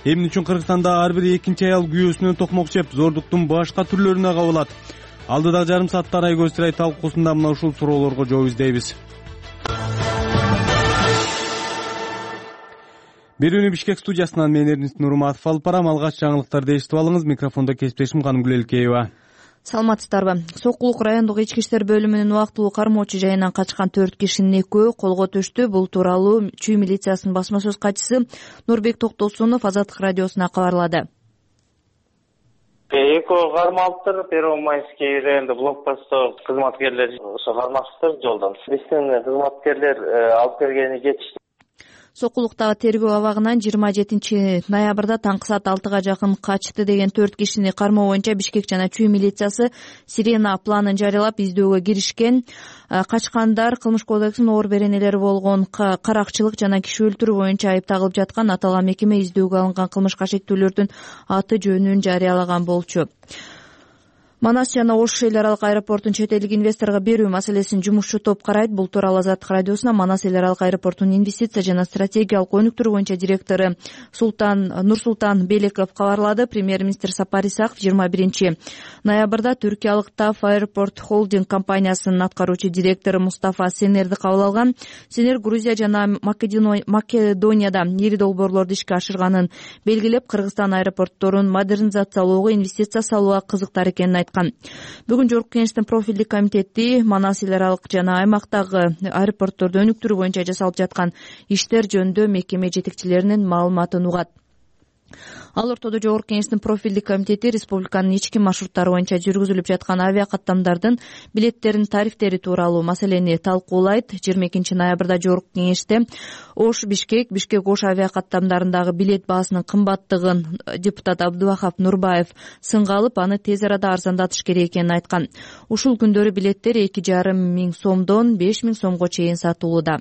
Эмне үчүн Кыргызстанда ар бир экинчи аял күйөөсүнөн токмок жеп, зордуктун башка түрлөрүнө кабылат? Алдыдагы жарым саатта Арай Көзтүрай талкуусунда мына ушул суроолорго жооп издейбиз. Берүүнү Бишкек студиясынан мен Эрнис Нурматов алып барам. Алгач жаңылыктарды эшитип алыңыз. Микрофондо кесиптешим Канымгүл Элкеева. Саламатсыздарбы? Сокулук райондук ички иштер бөлүмүнүн убактылуу кармоочу жайынан качкан төрт кишинин экөө колго түштү. Бул тууралуу Чүй милициясынын басма сөз катчысы Нурбек Токтосунов Азаттык радиосуна кабарлады. Экөө кармалыптыр. Первомайский районунда блокпостто кызматкерлер ошо кармашыптыр жолдон. Биздин кызматкерлер алып келгени кетишти. Сокулуктагы тергөө абагынан жыйырма жетинчи ноябрда таңкы саат алтыга жакын качты деген төрт кишини кармоо боюнча Бишкек жана Чүй милициясы Сирена планын жарыялап издөөгө киришкен. Качкандар Кылмыш кодексинин оор беренелери болгон каракчылык жана киши өлтүрүү боюнча айыпталып жаткан. Аталган мекеме издөөгө алынган кылмышка шектүүлөрдүн аты жөнүн жарыялаган болчу. Манас жана Ош эл аралык аэропортун чет элдик инвесторго берүү маселесин жумушчу топ карайт. Бул тууралуу Азаттык радиосуна Манас эл аралык аэропортунун инвестиция жана стратегиялык өнүктүрүү боюнча директору Султан Нурсултан Белеков кабарлады. Премьер-министр Сапар Исаков жыйырма биринчи ноябрда түркиялык Таф Аэропорт Холдинг компаниясынын аткаруучу директору Мустафа Сенерди кабыл алган. Сенер Грузия жана Македонияда ири долбоорлорду ишке ашырганын белгилеп, Кыргызстан аэропортторун модернизациялоого, инвестиция салууга кызыктар экенин айткан. Бүгүн Жогорку Кеңештин профилдик комитети Манас эл аралык жана аймактагы аэропортторду өнүктүрүү боюнча жасалып жаткан иштер жөнүндө мекеме жетекчилеринин маалыматын угат. Ал ортодо Жогорку Кеңештин профилдик комитети республиканын ички маршруттары боюнча жүргүзүлүп жаткан авиакаттамдардын билеттеринин тарифтери тууралуу маселени талкуулайт. жыйырма экинчи ноябрда Жогорку Кеңеште Ош Бишкек, Бишкек Ош авиакаттамдарындагы билет баасынын кымбаттыгын депутат Абдубахап Нурбаев сынга алып, аны тез арада арзандатыш керек экенин айткан. Ушул күндөрү билеттер эки жарым миң сомдон беш миң сомго чейин сатылууда.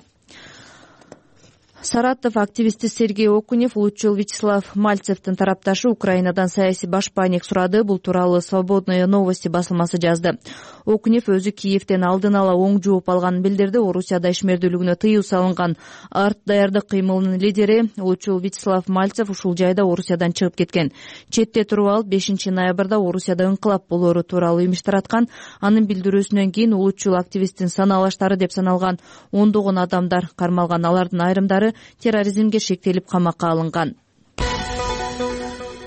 Саратов активисти Сергей Окунев улутчул Вячеслав Мальцевдин тарапташы Украинадан саясий башпаанек сурады. Бул тууралуу Свободные новости басылмасы жазды. Окунев өзү Киевден алдын ала оң жооп алганын билдирди. Орусияда ишмердүүлүгүнө тыюу салынган арт даярдык кыймылынын лидери улутчул Вячеслав Мальцев ушул жайда Орусиядан чыгып кеткен. Четте туруп алып бешинчи ноябрда Орусияда инкылап болоору тууралуу имиш тараткан. Анын билдирүүсүнөн кийин улутчул активисттин саналаштары деп саналган ондогон адамдар кармалган. Алардын айрымдары терроризмге шектелип камакка алынган.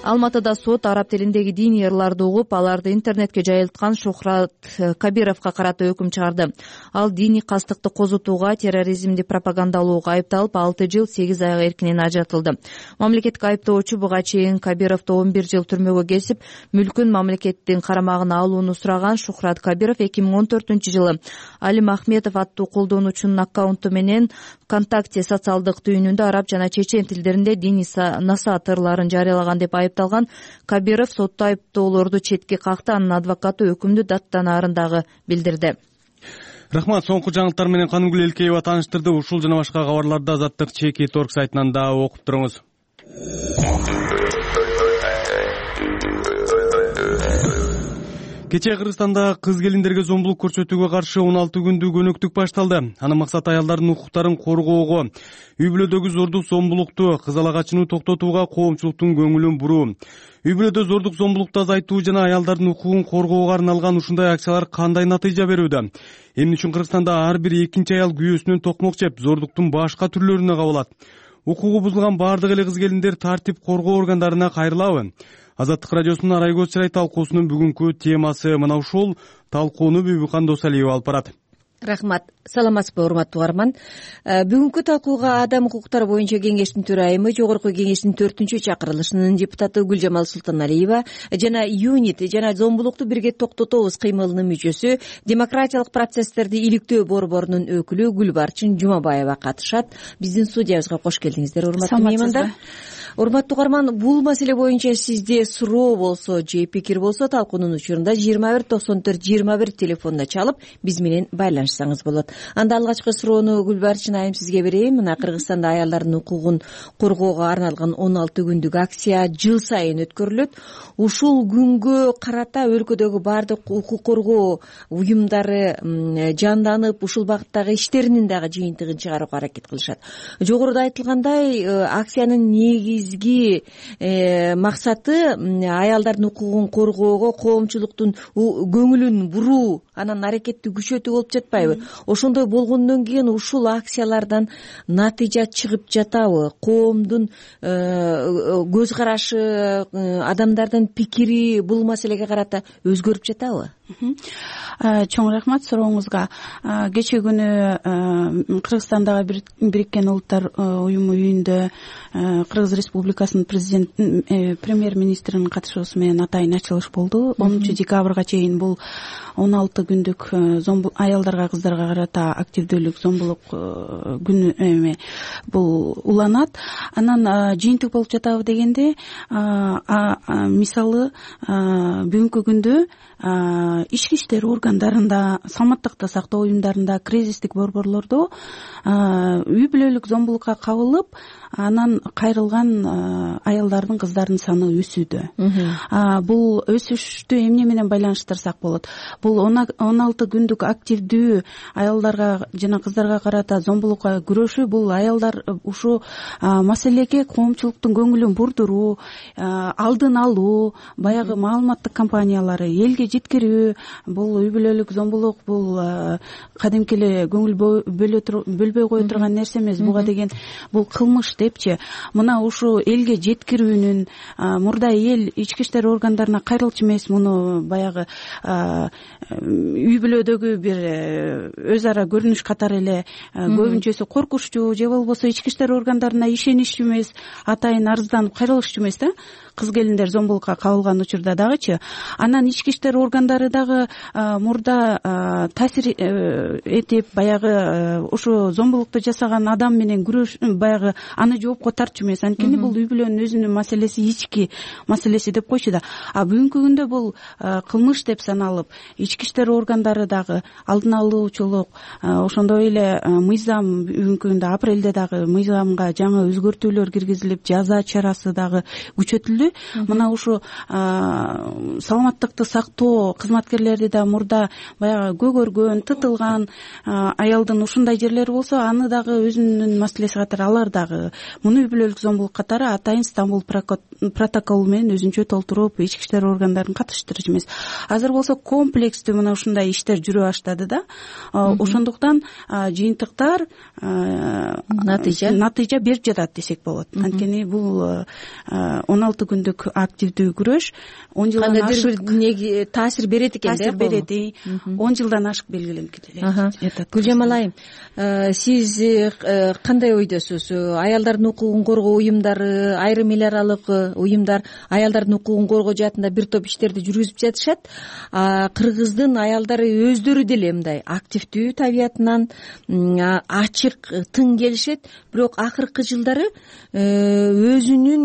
Алматыда сот араб тилиндеги диний ырларды угуп, аларды интернетке жайылткан Шухрат Кабировго карата өкүм чыгарды. Ал диний кастыкты козутууга, терроризмди пропагандалоого айыпталып, алты жыл сегиз айга эркинен ажыратылды. Мамлекеттик айыптоочу буга чейин Кабировду он бир жыл түрмөгө кесип, мүлкүн мамлекеттин карамагына алууну сураган. Шухрат Кабиров эки миң он төртүнчү жылы Алим Ахметов аттуу колдонуучунун аккаунту менен ВКонтакте социалдык түйүнүндө араб жана чечен тилдеринде диний насаат ырларын жарыялаган деп айыпталган. Кабиров сотто айыптоолорду четке какты. Анын адвокаты өкүмдү даттанаарын дагы билдирди. Рахмат. Соңку жаңылыктар менен Канымгүл Элкеева тааныштырды. Ушул жана башка кабарларды Азаттык чеки торг сайтынан да окуп туруңуз. Кечээ Кыргызстанда кыз келиндерге зомбулук көрсөтүүгө каршы он алты күндүк өнөктүк башталды. Анын максаты аялдардын укуктарын коргоого, үй бүлөдөгү зордук зомбулукту, кызалак ачууну токтотууга коомчулуктун көңүлүн буруу. Үй бүлөдө зордук зомбулукту азайтуу жана аялдардын укугун коргоого арналган ушундай акциялар кандай натыйжа берүүдө? Эмне үчүн Кыргызстанда ар бир экинчи аял күйөөсүнөн токмок жеп, зордуктун башка түрлөрүнө кабылат? Укугу бузулган баардык эле кыз келиндер тартип коргоо органдарына кайрылабы? Азаттык радиосунун Арайгөз Чырай талкуусунун бүгүнкү темасы мына ушул. Талкууну Бүбүкан Досалиева алып барат. Рахмат. Саламатсызбы, урматтуу угарман. Бүгүнкү талкууга Адам укуктары боюнча кеңештин төрайымы, Жогорку кеңештин төртүнчү чакырылышынын депутаты Гүлжамал Султаналиева жана ЮНИТ жана зомбулукту бирге токтотобуз кыймылынын мүчөсү, демократиялык процесстерди иликтөө борборунун өкүлү Гүлбарчын Жумабаева катышат. Биздин студиябызга кош келдиңиздер, урматтуу меймандар. Урматтуу угарман, бул маселе боюнча сизде суроо болсо же пикир болсо талкуунун учурунда жыйырма бир токсон төрт жыйырма бир телефонуна чалып биз менен байланышсаңыз болот. Анда алгачкы суроону Гүлбарчын айым сизге берейин. Мына Кыргызстанда аялдардын укугун коргоого арналган он алты күндүк акция жыл сайын өткөрүлөт. Ушул күнгө карата өлкөдөгү баардык укук коргоо уюмдары жанданып, ушул багыттагы иштеринин дагы жыйынтыгын чыгарууга аракет кылышат. Жогоруда айтылгандай, акциянын негизги максаты аялдардын укугун коргоого коомчулуктун көңүлүн буруу, анан аракетти күчөтүү болуп жатпайбы? Ошондой болгондон кийин ушул акциялардан натыйжа чыгып жатабы? Коомдун көз карашы, адамдардын пикири бул маселеге карата өзгөрүп жатабы? Чоң рахмат сурооңузга. Кечээ күнү Кыргызстандагы Бириккен Улуттар уюму үйүндө Кыргыз Республикасынын президент премьер-министринин катышуусу менен атайын ачылыш болду. онунчу декабрга чейин бул он алты күндүк аялдарга, кыздарга карата активдүүлүк зомбулук күнү эме бул уланат. Анан жыйынтык болуп жатабы дегенде, мисалы бүгүнкү күндө ички иштер органдарында, саламаттыкты сактоо уюмдарында, кризистик борборлордо үй бүлөлүк зомбулукка кабылып, анан кайрылган аялдардын, кыздардын саны өсүүдө. Бул өсүштү эмне менен байланыштырсак болот? Бул он алты күндүк активдүү аялдарга жана кыздарга карата зомбулукка күрөшүү, бул аялдар ушу маселеге коомчулуктун көңүлүн бурдуруу, алдын алуу, баягы маалыматтык кампаниялары элге жеткирүү. Бул үй бүлөлүк зомбулук, бул кадимки эле көңүл бөлбөй кое турган нерсе эмес. Буга деген бул кылмыш депчи. Мына ушу элге жеткирүүнүн, мурда эл ички иштер органдарына кайрылчу эмес, муну баягы үй бүлөдөгү бир өз ара көрүнүш катары эле көбүнчөсү коркучтуу же болбосо ички иштер органдарына ишеничтүү эмес, атайын арызданып кайрылышчу эмес да. Кыз келиндер зомбулукка кабылган учурда дагычы. Анан ички иштер органдары дагы мурда таасир этип, баягы ушу зомбулукту жасаган адам менен күрөш, баягы аны жоопко тартчу эмес. Анткени бул үй бүлөнүн өзүнүн маселеси, ички маселеси деп койчу да. А бүгүнкү күндө бул кылмыш деп саналып, ички иштер органдары дагы алдын алуучулук, ошондой эле мыйзам, бүгүнкү күндө апрелде дагы мыйзамга жаңы өзгөртүүлөр киргизилип, жаза чарасы дагы күчөтүлдү. Мына ушу саламаттыкты сактоо кызматкерлери да мурда баягы көгөргөн, тытылган аялдын ушундай жерлери болсо, аны дагы өзүнүн маселеси катары алар дагы муну үй бүлөлүк зомбулук катары атайын Стамбул протоколу менен өзүнчө толтуруп, ички иштер органдарын катыштырчу эмес. Азыр болсо комплекстүү мына ушундай иштер жүрө баштады да. Ошондуктан жыйынтыктар натыйжа натыйжа берип жатат десек болот. Анткени бул он алты күндүк активдүү күрөш он жылдан ашык кандайдыр таасир берет экен да. Таасир берет. он жылдан ашык белгиленип жатат. Гүлжамал айым, сиз кандай ойдосуз? Аялдардын укугун коргоо уюмдары, айрым эл аралык уюмдар аялдардын укугун коргоо жаатында бир топ иштерди жүргүзүп жатышат. Кыргыздын аялдары өздөрү деле мындай активдүү табиятынан, ачык, тың келишет, бирок акыркы жылдары өзүнүн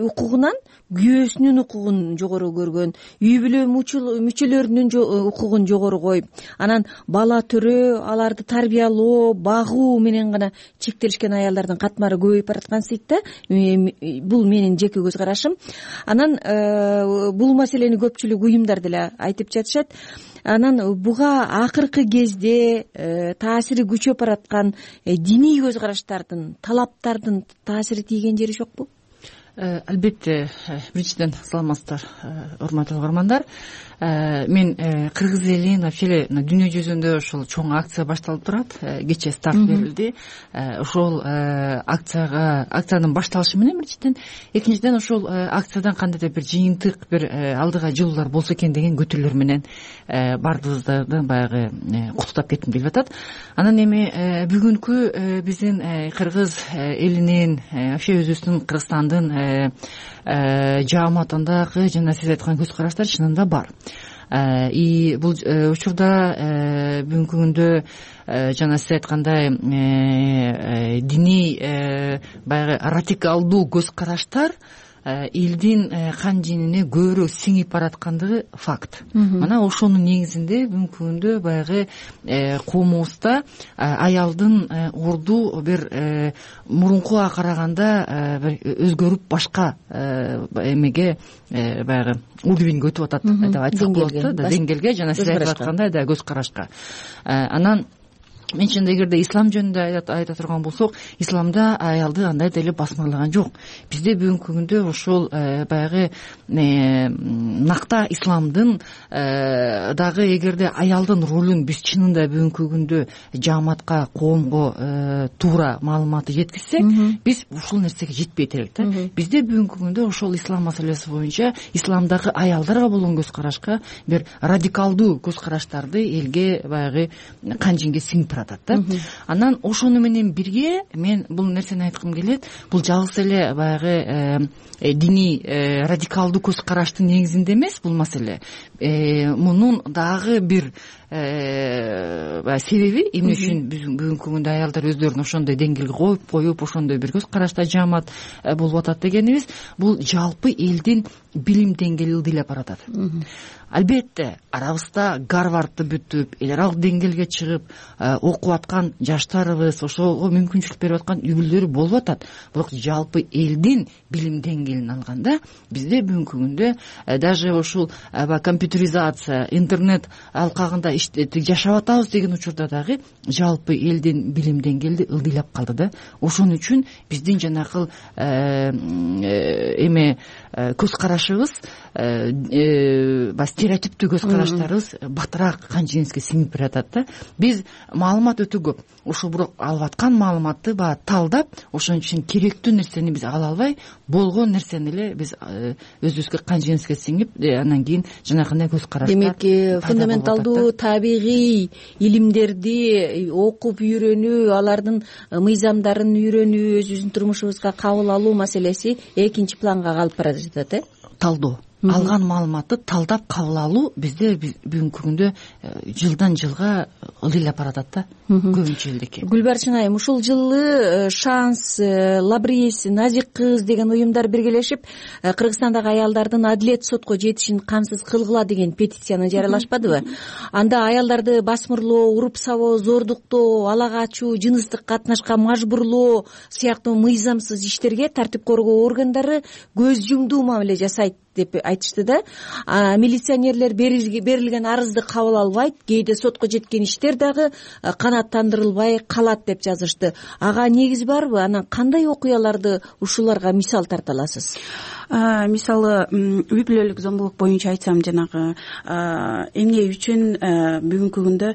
укугунан күйөөсүнүн укугун жогору көргөн, үй бүлө мүчөлөрүнүн укугун жогору коюп, анан бала төрөө, аларды тарбиялоо, багуу менен гана чектелишкен аялдардын катмары көбөйүп бараткан сыйт да. Бул менин жеке көз карашым. Анан бул маселени көпчүлүк уюмдар деле айтып жатышат. Анан буга акыркы кезде таасири күчөп бараткан диний көз караштардын, талаптардын таасири тийген жери жокпу? Албетте, биринчиден саламатсыздар, урматтуу угармандар. Мен кыргыз элинин вообще эле дүйнө жүзүндө ошол чоң акция башталып турат. Кечээ старт берилди. Ошол акцияга акциянын башталышы менен биринчиден, экинчиден ошол акциядан кандайдыр бир жыйынтык, бир алдыга жылуулар болсо экен деген көтөрүүлөр менен баардыгыбызды баягы куттуктап кетким келип атат. Анан эми бүгүнкү биздин кыргыз элинин, вообще өзүбүздүн Кыргызстандын жааматындагы жана сиз айткан көз караштар чынында бар. И бул учурда бүгүнкү күндө жана сиз айткандай диний баягы радикалдуу көз караштар элдин кан женине көбүрөөк сиңип бараткандыгы факт. Мына ошонун негизинде бүгүнкү күндө баягы коомубузда аялдын орду бир мурункуга караганда бир өзгөрүп башка эмеге баягы уровеньге өтүп атат деп айтсак болот да, деңгээлге, жана сиз айтып аткандай да көз карашка. Анан мен чынында эгерде ислам жөнүндө айта турган болсок, исламда аялды андай деле басмырлаган жок. Бизде бүгүнкү күндө ошол баягы накта исламдын дагы эгерде аялдын ролун биз чынында бүгүнкү күндө жааматка, коомго туура маалыматты жеткизсек, биз ушул нерсеге жетпейт элек да. Бизде бүгүнкү күндө ошол ислам маселеси боюнча исламдагы аялдарга болгон көз карашка бир радикалдуу көз караштарды элге баягы кан женге сиңип баратат да. Анан ошону менен бирге мен бул нерсени айткым келет. Бул жалгыз эле баягы диний радикалдуу көз караштын негизинде эмес бул маселе. Мунун дагы бир себеби эмне үчүн бүгүнкү күндө аялдар өздөрүн ошондой деңгээлге коюп коюп ошондой бир көз карашта жаамат болуп атат дегенибиз, бул жалпы элдин билим деңгээли ылдыйлап баратат. Албетте, арабызда Гарвардты бүтүп, эл аралык деңгээлге чыгып окуп аткан жаштарыбыз, ошого мүмкүнчүлүк берип аткан үй бүлөлөр болуп атат. Бирок жалпы элдин билим деңгээлин алганда, бизде бүгүнкү күндө даже ушул компьютеризация, интернет алкагында жашап атабыз деген учурда дагы жалпы элдин билим деңгээли ылдыйлап калды да. Ошон үчүн биздин жанакыл эме көз карашыбыз, стереотиптүү көз караштарыбыз батыраак кан жениске сиңип баратат да. Биз маалымат өтө көп. Ошол бирок алып аткан маалыматты баягы талдап, ошон үчүн керектүү нерсени биз ала албай, болгон нерсени эле биз өзүбүзгө кан жениске сиңип, анан кийин жанагындай көз караштар. Демек, фундаменталдуу табигый илимдерди окуп үйрөнүү, алардын мыйзамдарын үйрөнүү, өзүбүздүн турмушубузга кабыл алуу маселеси экинчи планга калып бара жатат, э? Талдоо. Алган маалыматты талдап кабыл алуу бизде бүгүнкү күндө жылдан жылга ылдыйлап баратат да, көбүнчө элдеки. Гүлбарчын айым, ушул жылы Шанс, Лабрис, Назик кыз деген уюмдар биргелешип Кыргызстандагы аялдардын адилет сотко жетишин камсыз кылгыла деген петицияны жарыялашпадыбы? Анда аялдарды басмырлоо, уруп сабоо, зордуктоо, ала качуу, жыныстык катнашка мажбурлоо сыяктуу мыйзамсыз иштерге тартип коргоо органдары көз жумдуу мамиле жасайт деп айтышты да. Милиционерлер берилген арызды кабыл албайт, кээде сотко жеткен иштер дагы канааттандырылбай калат деп жазышты. Ага негиз барбы? Анан кандай окуяларды ушуларга мисал тарта аласыз? Мисалы, үй бүлөлүк зомбулук боюнча айтсам, жанагы эмне үчүн бүгүнкү күндө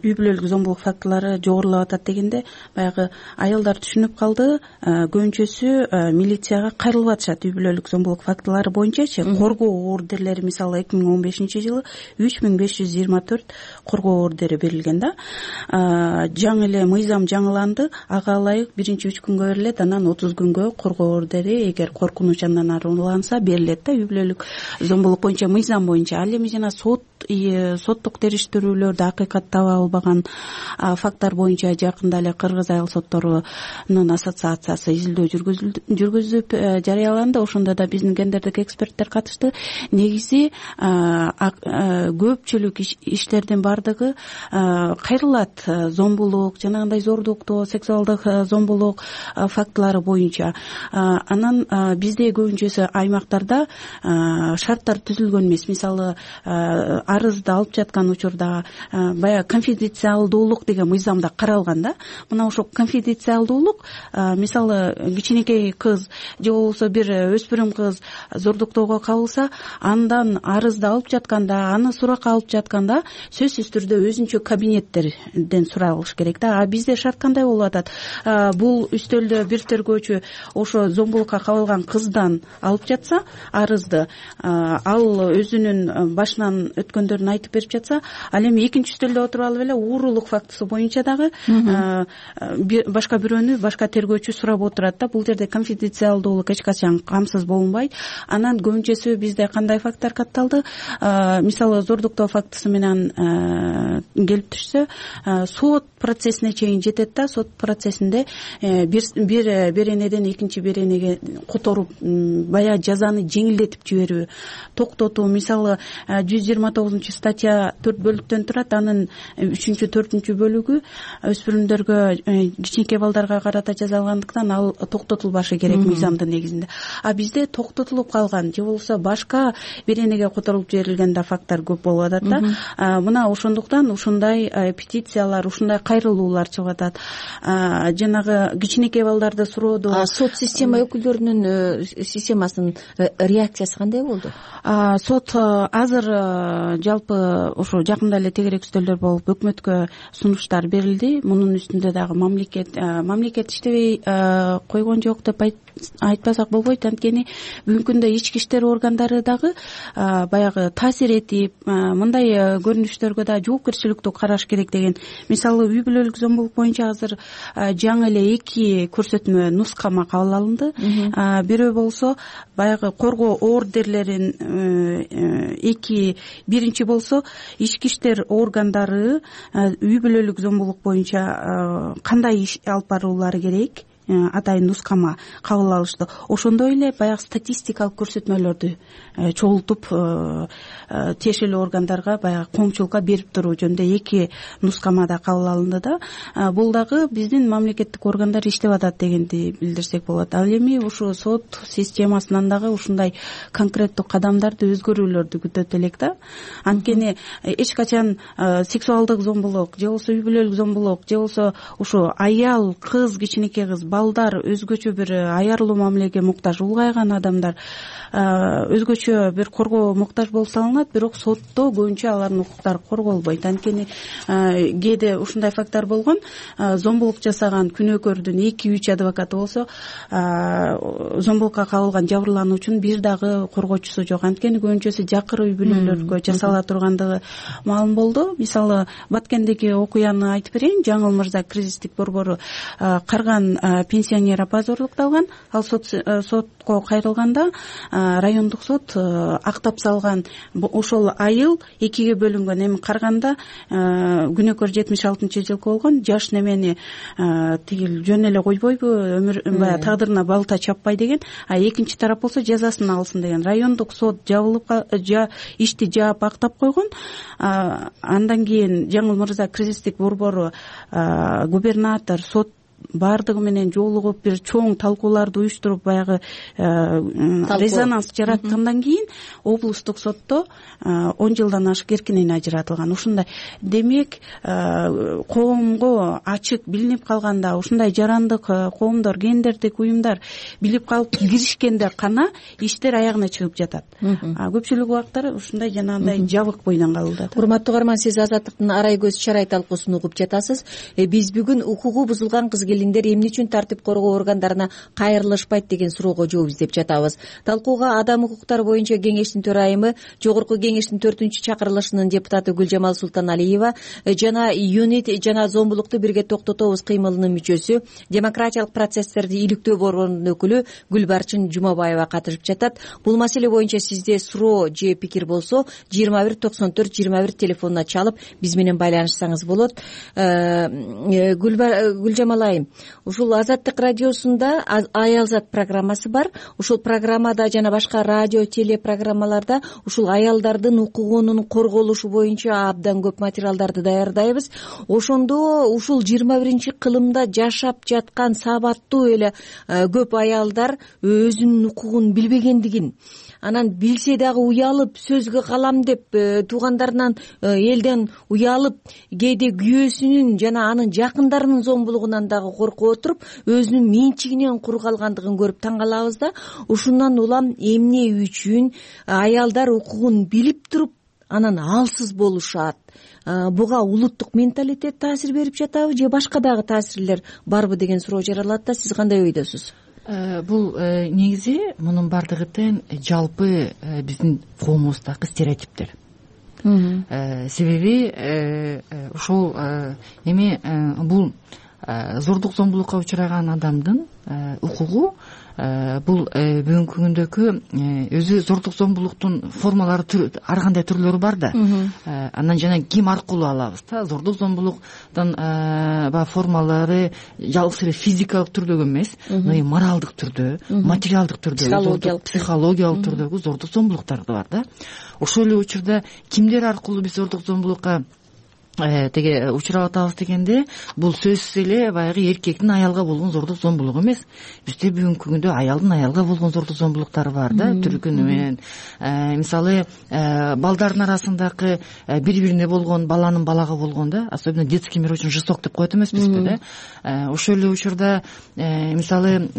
үй бүлөлүк зомбулук фактылары жогорулап атат дегенде, баягы аялдар түшүнүп калды, көбүнчөсү милицияга кайрылып атышат үй бүлөлүк зомбулук фактылары боюнча. Коргоо ордерлери мисалы эки миң он бешинчи жылы үч миң беш жүз жыйырма төрт коргоо ордери берилген да. Жаңы эле мыйзам жаңыланды, ага ылайык биринчи үч күнгө берилет, анан отуз күнгө коргоо ордери эгер коркунуч андан ары уланса берилет да, үй бүлөлүк зомбулук боюнча мыйзам боюнча. Ал эми жана сот соттук териштирүүлөрдө акыйкат таба албаган факттар боюнча жакында эле Кыргыз айыл сотторунун ассоциациясы изилдөө жүргүзүп жарыяланды. Ошондо да биздин гендердик эксперттер катышты. Негизи көпчүлүк иштердин баардыгы кайрылат зомбулук, жанагындай зордуктоо, сексуалдык зомбулук фактылары боюнча. Анан бизде көбүнчөсү аймактарда шарттар түзүлгөн эмес. Мисалы арызды алып жаткан учурда баягы конфиденциалдуулук деген мыйзамда каралган да. Мына ошол конфиденциалдуулук, мисалы кичинекей кыз же болбосо бир өспүрүм кыз зордуктоого кабылса, андан арызды алып жатканда, аны суракка алып жатканда сөзсүз түрдө өзүнчө кабинеттерден суралыш керек да. А бизде шарт кандай болуп атат? Бул үстөлдө бир тергөөчү ошо зомбулукка кабылган кыздан алып жатса арызды, ал өзүнүн башынан өткөндөрүн айтып берип жатса, ал эми экинчи үстөлдө отуруп алып эле уурулук фактысы боюнча дагы башка бирөөнү башка тергөөчү сурап отурат да. Бул жерде конфиденциалдуулук эч качан камсыз болунбайт. Анан көбүнчөсү бизде кандай факттар катталды? Мисалы зордуктоо фактысы менен келип түшсө, сот процессине чейин жетет да. Сот процессинде бир беренеден экинчи беренеге которуп баягы жазаны жеңилдетип жиберүү, токтотуу. Мисалы жүз жыйырма тогузунчу статья төрт бөлүктөн турат. Анын үчүнчү, төртүнчү бөлүгү өспүрүмдөргө, кичинекей балдарга карата жасалгандыктан ал токтотулбашы керек мыйзамдын негизинде. А бизде токтотулуп калган же болбосо башка беренеге которулуп жиберилген да факттар көп болуп атат да. Мына ошондуктан ушундай петициялар, ушундай кайрылуулар чыгып атат. Жанагы кичинекей балдарды суроодо сот система өкүлдөрүнүн системасынын реакциясы кандай болду? Сот азыр жалпы ошо жакында эле тегерек үстөлдөр болуп өкмөткө сунуштар берилди. Мунун үстүндө дагы мамлекет мамлекет иштебей койгон жок деп айтпасак болбойт. Анткени бүгүнкү күндө ички иштер органдары дагы баягы таасир этип, мындай көрүнүштөргө да жоопкерчиликтүү караш керек деген. Мисалы үй бүлөлүк зомбулук боюнча азыр жаңы эле эки көрсөтмө нускама кабыл алынды. Бирөө болсо баягы коргоо ордерлерин эки, биринчи болсо ички иштер органдары үй бүлөлүк зомбулук боюнча кандай иш алып баруулары керек, атайын нускама кабыл алышты. Ошондой эле баягы статистикалык көрсөтмөлөрдү чогултуп тиешелүү органдарга баягы коомчулукка берип туруу жөнүндө эки нускамада кабыл алынды да. Бул дагы биздин мамлекеттик органдар иштеп атат дегенди билдирсек болот. Ал эми ушу сот системасынан дагы ушундай конкреттүү кадамдарды, өзгөрүүлөрдү күтөт элек да. Анткени эч качан сексуалдык зомбулук же болбосо үй бүлөлүк зомбулук же болбосо ушу аял, кыз, кичинекей кыз, балдар өзгөчө бир аярлуу мамилеге муктаж, улгайган адамдар өзгөчө бир коргоо муктаж болуп салынат. Бирок сотто көбүнчө алардын укуктары корголбойт. Анткени кээде ушундай факттар болгон. Зомбулук жасаган күнөөкөрдүн эки үч адвокаты болсо, зомбулукка кабылган жабырлануучунун бир дагы коргоочусу жок. Анткени көбүнчөсү жакыр үй бүлөлөргө жасала тургандыгы маалым болду. Мисалы Баткендеги окуяны айтып берейин. Жаңыл мырза кризистик борбору карган пенсионер апа зордукталган. Ал сот сотко кайрылганда райондук сот актап салган. Ошол айыл экиге бөлүнгөн. Эми карганда күнөөкөр жетимиш алтынчы жылкы болгон. Жаш немени тигил жөн эле койбойбу, өмүр баягы тагдырына балта чаппай деген. А экинчи тарап болсо жазасын алсын деген. Райондук сот жабылып ишти жаап актап койгон. Андан кийин Жаңыл мырза кризистик борбору, губернатор, сот баардыгы менен жолугуп бир чоң талкууларды уюштуруп баягы резонанс жараткандан кийин облустук сотто он жылдан ашык эркинен ажыратылган. Ушундай демек коомго ачык билинип калганда, ушундай жарандык коомдор, гендердик уюмдар билип калып киришкенде гана иштер аягына чыгып жатат. Көпчүлүк убактар ушундай жанагындай жабык бойдон калып. Урматтуу угарман, сиз Азаттыктын Арай көз чарай талкуусун угуп жатасыз. Биз бүгүн укугу бузулган кыз келиндер эмне үчүн тартип коргоо органдарына кайрылышпайт деген суроого жооп издеп жатабыз. Талкууга Адам укуктары боюнча кеңештин төрайымы, Жогорку кеңештин төртүнчү чакырылышынын депутаты Гүлжамал Султаналиева жана ЮНИТ жана зомбулукту бирге токтотобуз кыймылынын мүчөсү, демократиялык процесстерди иликтөө борборунун өкүлү Гүлбарчын Жумабаева катышып жатат. Бул маселе боюнча сизде суроо же пикир болсо жыйырма бир токсон төрт жыйырма бир телефонуна чалып биз менен байланышсаңыз болот. Гүлжамал айым, ушул Азаттык радиосунда Аялзат программасы бар. Ушул программада жана башка радио телепрограммаларда ушул аялдардын укугунун корголушу боюнча абдан көп материалдарды даярдайбыз. Ошондо ушул жыйырма биринчи кылымда жашап жаткан сабаттуу эле көп аялдар өзүнүн укугун билбегендигин, анан билсе дагы уялып сөзгө калам деп туугандарынан, элден уялып, кээде күйөөсүнүн жана анын жакындарынын зомбулугунан дагы коркуп отуруп өзүнүн менчигинен кур калгандыгын көрүп таң калабыз да. Ушундан улам эмне үчүн аялдар укугун билип туруп анан алсыз болушат? Буга улуттук менталитет таасир берип жатабы же башка дагы таасирлер барбы деген суроо жаралат да. Сиз кандай ойдосуз? Бул негизи мунун бардыгы тең жалпы биздин коомубуздагы стереотиптер. Себеби ушул эми бул зордук зомбулукка учураган адамдын укугу бул бүгүнкү күндөгү өзү зордук зомбулуктун формалары ар кандай түрлөрү бар да. Анан жана ким аркылуу алабыз да? Зордук зомбулуктун баягы формалары жалгыз эле физикалык түрдөгү эмес, моралдык түрдө, материалдык түрдө, психологиялык түрдөгү зордук зомбулуктар да бар да. Ошол эле учурда кимдер аркылуу биз зордук зомбулукка теге учурап атабыз дегенде, бул сөзсүз эле баягы эркектин аялга болгон зордук зомбулугу эмес. Бизде бүгүнкү күндө аялдын аялга болгон зордук зомбулуктары бар да, түркүнү менен. Мисалы, балдардын арасындагы бири-бирине болгон, баланын балага болгон да, особенно детский мир очень жесток деп коет эмеспизби да. Ошол эле учурда мисалы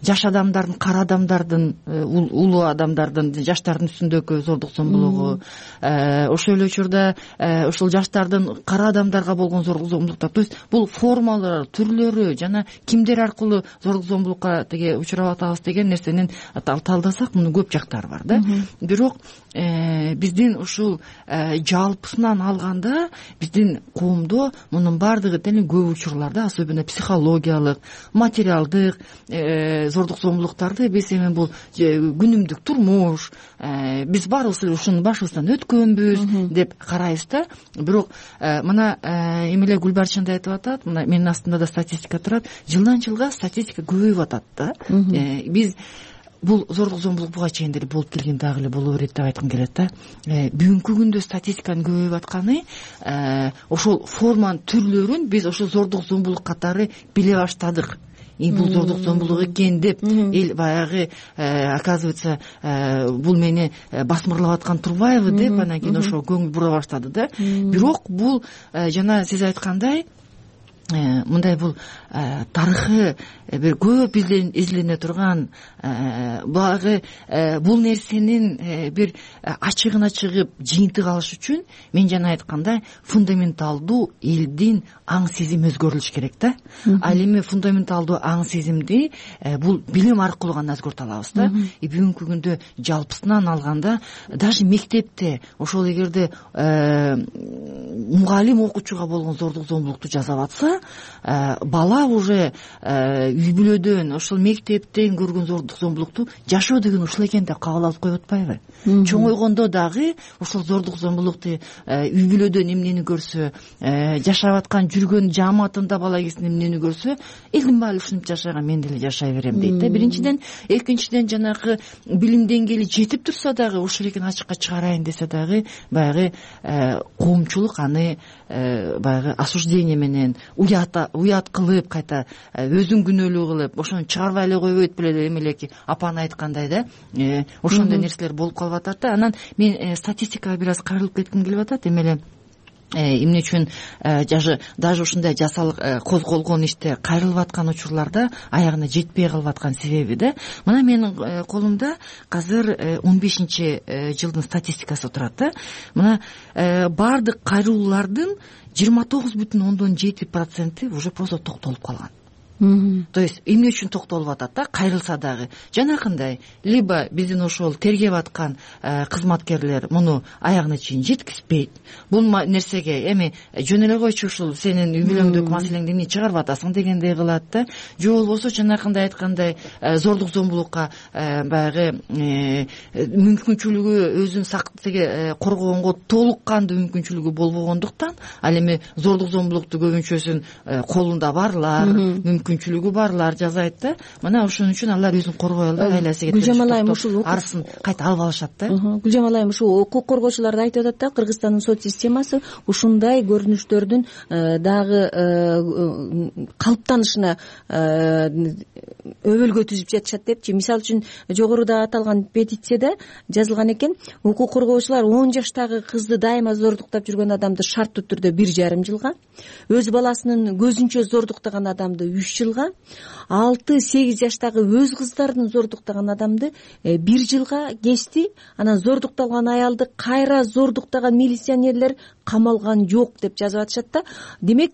жаш адамдардын, кара адамдардын, улуу адамдардын, жаштардын үстүндөгү зордук зомбулугу. Ошол эле учурда ошол жаш кара адамдарга болгон зордук зомбулуктар. То есть бул формалары, түрлөрү жана кимдер аркылуу зордук зомбулукка теге учурап атабыз деген нерсенин талдасак, мунун көп жактары бар да. Бирок биздин ушул жалпысынан алганда биздин коомдо мунун бардыгы тең көп учурларда, особенно психологиялык, материалдык зордук зомбулуктарды биз эми бул күнүмдүк турмуш, биз баарыбыз эле ушунун башыбыздан өткөнбүз деп карайбыз да. Бирок мына эмеле Гүлбарчын да айтып атат, мына менин астымда да статистика турат, жылдан жылга статистика көбөйүп атат да. Биз бул зордук зомбулук буга чейин деле болуп келген, дагы эле боло берет деп айткым келет да. Бүгүнкү күндө статистиканын көбөйүп атканы ошол форманын түрлөрүн биз ошол зордук зомбулук катары биле баштадык. И бул зордук зомбулук экен деп эл баягы оказывается бул мени басмырлап аткан турбайбы деп анан кийин ошого көңүл бура баштады да. Бирок бул жана сиз айткандай мындай бул тарыхы бир көп излене турган, баягы бул нерсенин бир ачыгына чыгып жыйынтык алыш үчүн мен жана айткандай фундаменталдуу элдин аң сезими өзгөрүлүш керек да. Ал эми фундаменталдуу аң сезимди бул билим аркылуу гана өзгөртө алабыз да. И бүгүнкү күндө жалпысынан алганда даже мектепте ошол эгерде мугалим окуучуга болгон зордук зомбулукту жасап атса, бала уже үй бүлөдөн, ошол мектептен көргөн зордук зомбулукту жашоо деген ушул экен деп кабыл алып коюп атпайбы? Чоңойгондо дагы ошол зордук зомбулукту үй бүлөдөн эмнени көрсө, жашап аткан жүргөн жааматында бала кезинде эмнени көрсө, элдин баары ушинтип жашаган, мен деле жашай берем дейт да. Биринчиден, экинчиден жанагы билим деңгээли жетип турса дагы, ушул экен ачыкка чыгарайын десе дагы, баягы коомчулук аны баягы осуждение менен уят уят кылып, кайта өзүн күнөөлүү кылып, ошону чыгарбай эле койбойт беле, эмелеки апанын айткандай да, ошондой нерселер болуп калып атат да. Анан мен статистикага бир аз кайрылып кетким келип атат. Эмеле эмне үчүн даже даже ушундай жасалык козголгон иште кайрылып аткан учурларда аягына жетпей калып аткан себеби да. Мына менин колумда азыр он бешинчи жылдын статистикасы турат да. Мына баардык кайрылуулардын жыйырма тогуз бүтүн ондон жети проценти уже просто токтолуп калган. то есть эмне үчүн токтолуп атат да, кайрылса дагы жанакындай либо биздин ошол тергеп аткан кызматкерлер муну аягына чейин жеткизбейт, бул нерсеге эми жөн эле койчу ушул сенин үй бүлөңдүк маселеңди эмне чыгарып атасың дегендей кылат да, же болбосо жанакындай айткандай зордук зомбулукка баягы мүмкүнчүлүгү өзүн коргогонго толук кандуу мүмкүнчүлүгү болбогондуктан, ал эми зордук зомбулукту көбүнчөсүн колунда барлар, мүмкүнчүлүгү барлар жасайт да, мына ошон үчүн алар өзүн коргой албай айласы кетип арысын кайта алып алышат да. Гүлжамал айым, ушул укук коргоочулар да айтып атат да, Кыргызстандын сот системасы ушундай көрүнүштөрдүн дагы калыптанышына өбөлгө түзүп жатышат депчи. Мисалы үчүн жогоруда аталган петицияда жазылган экен, укук коргоочулар он жаштагы кызды дайыма зордуктап жүргөн адамды шарттуу түрдө бир жарым жылга, өз баласынын көзүнчө зордуктаган адамды үч жылга, алты сегиз жаштагы өз кыздарын зордуктаган адамды бир жылга кести. Анан зордукталган аялды кайра зордуктаган милиционерлер камалган жок деп жазып атышат да. Демек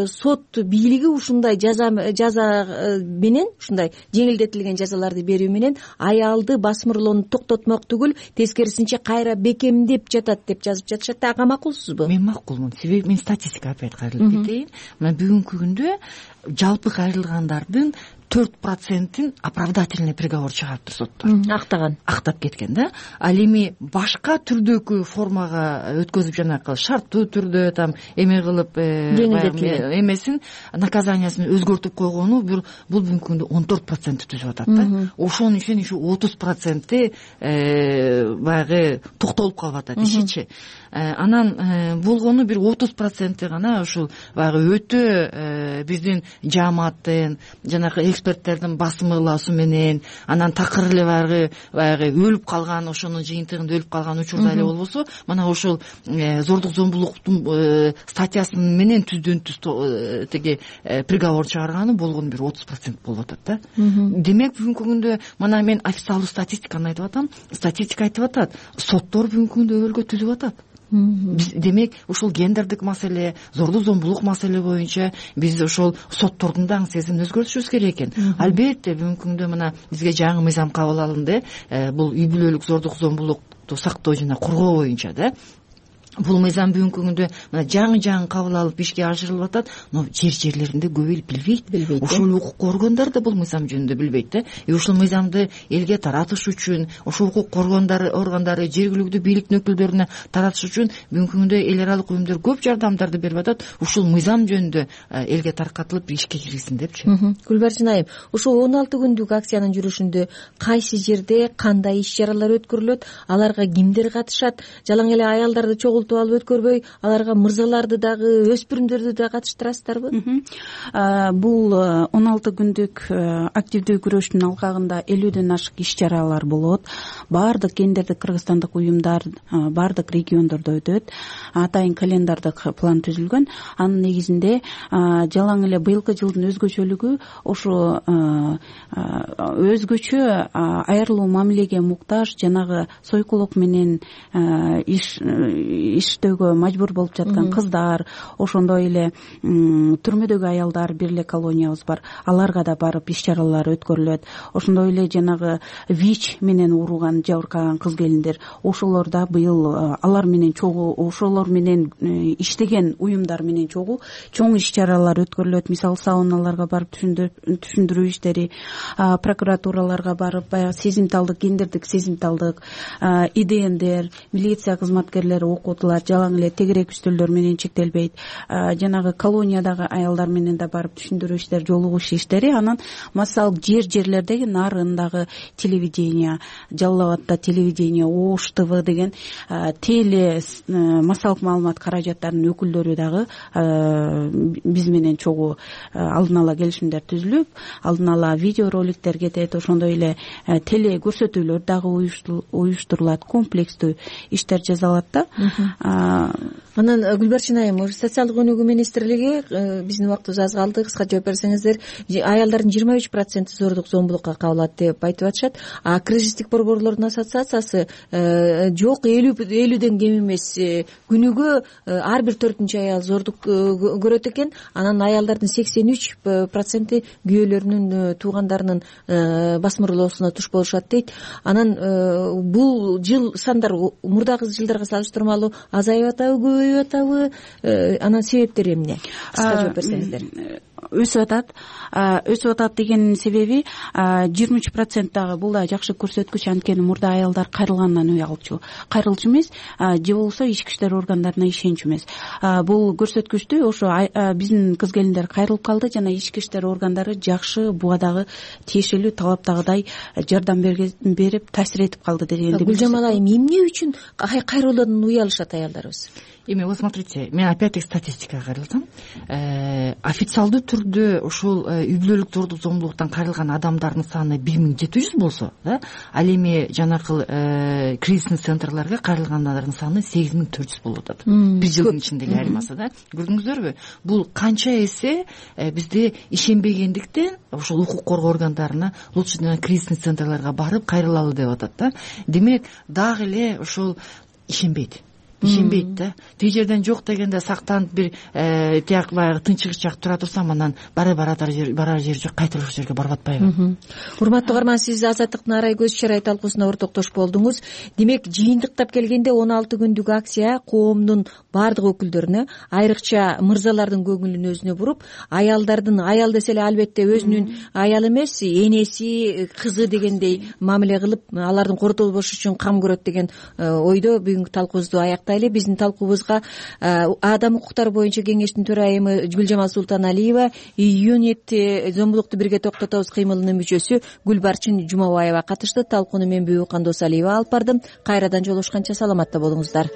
сот бийлиги ушундай жаза жаза менен, ушундай жеңилдетилген жазаларды берүү менен аялды басмырлоону токтотмок түгүл, тескерисинче кайра бекемдеп жатат деп жазып жатышат да. Ага макулсузбу? Мен макулмун. Себеби мен статистика опять кайрылып кетейин. Мына бүгүнкү күндө жалпы кайрылгандардын төрт процентин оправдательный приговор чыгарыптыр соттор. Актаган. Актап кеткен да. Ал эми башка түрдөгү формага өткөзүп, жанакы шарттуу түрдө там эме кылып эмесин, наказаниясын өзгөртүп койгону бул бүгүнкү күндө он төрт процент түзүп атат да. Ошонун ичинен ушу отуз проценти баягы токтолуп калып атат ишичи. Анан болгону бир отуз проценти гана ушул баягы өтө биздин жааматтын, жанакы эксперттердин басымылаасу менен, анан такыр эле баягы баягы өлүп калган, ошонун жыйынтыгында өлүп калган учурда эле болбосо, мына ошол зордук зомбулуктун статьясын менен түздөн түз тиги приговор чыгарганы болгону бир отуз процент болуп атат да. Демек бүгүнкү күндө мына мен официалдуу статистиканы айтып атам, статистика айтып атат, соттор бүгүнкү күндө өбөлгө түзүп атат. Демек ушул гендердик маселе, зордук зомбулук маселе боюнча биз ошол соттордун дагы сезимин өзгөртүшүбүз керек экен. Албетте бүгүнкү күндө мына бизге жаңы мыйзам кабыл алынды, бул үй бүлөлүк зордук зомбулукту сактоо жана коргоо боюнча да. Бул мыйзам бүгүнкү күндө мына жаңы жаңы кабыл алып ишке ашырылып атат, но жер жерлеринде көп эл билбейт. Билбейт. Ошол укук коргондор да бул мыйзам жөнүндө билбейт да. И ушул мыйзамды элге таратыш үчүн, ошол укук коргондор органдары жергиликтүү бийликтин өкүлдөрүнө таратыш үчүн бүгүнкү күндө эл аралык уюмдар көп жардамдарды берип атат. Ушул мыйзам жөнүндө элге таркатылып ишке киргизсин депчи. Гүлбарчын айым, ушул он алты күндүк акциянын жүрүшүндө кайсы жерде кандай иш чаралар өткөрүлөт, аларга кимдер катышат, жалаң эле аялдарды чогултуп алып өткөрбөй, аларга мырзаларды дагы, өспүрүмдөрдү да катыштырасыздарбы? Бул он алты күндүк активдүү күрөштүн алкагында элүүдөн ашык иш чаралар болот. Баардык гендердик кыргызстандык уюмдар баардык региондордо өтөт. Атайын календардык план түзүлгөн. Анын негизинде жалаң эле быйылкы жылдын өзгөчөлүгү ошо өзгөчө айырылуу мамилеге муктаж, жанагы сойкулук менен иш иштөөгө мажбур болуп жаткан кыздар, ошондой эле түрмөдөгү аялдар, бир эле колониябыз бар, аларга да барып иш чаралар өткөрүлөт. Ошондой эле жанагы ВИЧ менен ууруган, жабыркаган кыз келиндер, ошолор да быйыл алар менен чогуу, ошолор менен иштеген уюмдар менен чогуу чоң иш чаралар өткөрүлөт. Мисалы сауналарга барып түшүндүрүү иштери, прокуратураларга барып баягы сезимталдык, гендердик сезимталдык, ИДНдер, милиция кызматкерлери окутулат, жалаң эле тегерек үстөлдөр менен чектелбейт. Жанагы колониядагы аялдар менен да барып түшүндүрүү иштери, жолугуш иштери. Анан массалык жер жерлердеги Нарындагы телевидение, Жалал Абадда телевидение, Ош ТВ деген теле массалык маалымат каражаттарынын өкүлдөрү дагы биз менен чогуу алдын ала келишимдер түзүлүп, алдын ала видеороликтер кетет, ошондой эле теле көрсөтүүлөр дагы уюштурулат, комплекстүү иштер жасалат да. анан Гүлбарчын айым, социалдык өнүгүү министрлиги биздин убактыбыз аз калды, кыска жооп берсеңиздер, аялдардын жыйырма үч проценти зордук зомбулукка кабылат деп айтып атышат. А кризистик борборлордун ассоциациясы жок, элүүдөн кем эмес, күнүгө ар бир төртүнчү аял зордук көрөт экен. Анан аялдардын сексен үч проценти күйөөлөрүнүн, туугандарынын басмырлоосуна туш болушат дейт. Анан бул жыл сандар мурдагы жылдарга салыштырмалуу азайып атабы, көбөйүп атабы? Анан себептери эмне? Кыска жооп берсеңиздер. Өсүп атат. Өсүп атат деген себеби жыйырма үч процент дагы бул да жакшы көрсөткүч, анткени мурда аялдар кайрылгандан уялчу, кайрылчу эмес, же болбосо ички иштер органдарына ишенчү эмес. Бул көрсөткүчтү ошо биздин кыз келиндер кайрылып калды жана ички иштер органдары жакшы, буга дагы тиешелүү талаптагыдай жардам берип, таасир этип калды дегенди. Гүлжамал айым, эмне үчүн кайрылуудан уялышат аялдарыбыз? Эми вот смотрите, мен опять-таки статистикага кайрылсам, официалдуу түрдө ушул үй бүлөлүк зордук зомбулуктан кайрылган адамдардын саны бир миң жети жүз болсо, да, ал эми жанакыл кризисный центрларга кайрылгандардын саны сегиз миң төрт жүз болуп атат. Бир жылдын ичиндеги айырмасы, да. Көрдүңүздөрбү? Бул канча эсе бизде ишенбегендиктен ушул укук коргоо органдарына лучше кризисный центрларга барып кайрылалы деп атат, да. Демек, дагы эле ушул ишенбейт. Ишенбейт да. Тиги жерден жок дегенде сактанып бир тияк баягы тынчыгыч жак тура турсам, анан бара баратар жер барар жер жок, кайта ошол жерге барып атпайбы? Урматтуу угарман, сиз Азаттыктын арай көз чарай талкуусуна ортоктош болдуңуз. Демек, жыйынтыктап келгенде он алты күндүк акция коомдун баардык өкүлдөрүнө, айрыкча мырзалардын көңүлүн өзүнө буруп, аялдардын, аял десе эле албетте өзүнүн аялы эмес, энеси, кызы дегендей мамиле кылып, алардын кордолбошу үчүн кам көрөт деген ойдо бүгүнкү талкуубузду аяктайлы. Биздин талкуубузга адам укуктары боюнча кеңештин төрайымы Гүлжамал Султаналиева, юнит зомбулукту бирге токтотобуз кыймылынын мүчөсү Гүлбарчын Жумабаева катышты. Талкууну мен Бүбү Кандосалиева алып бардым. Кайрадан жолугушканча саламатта болуңуздар.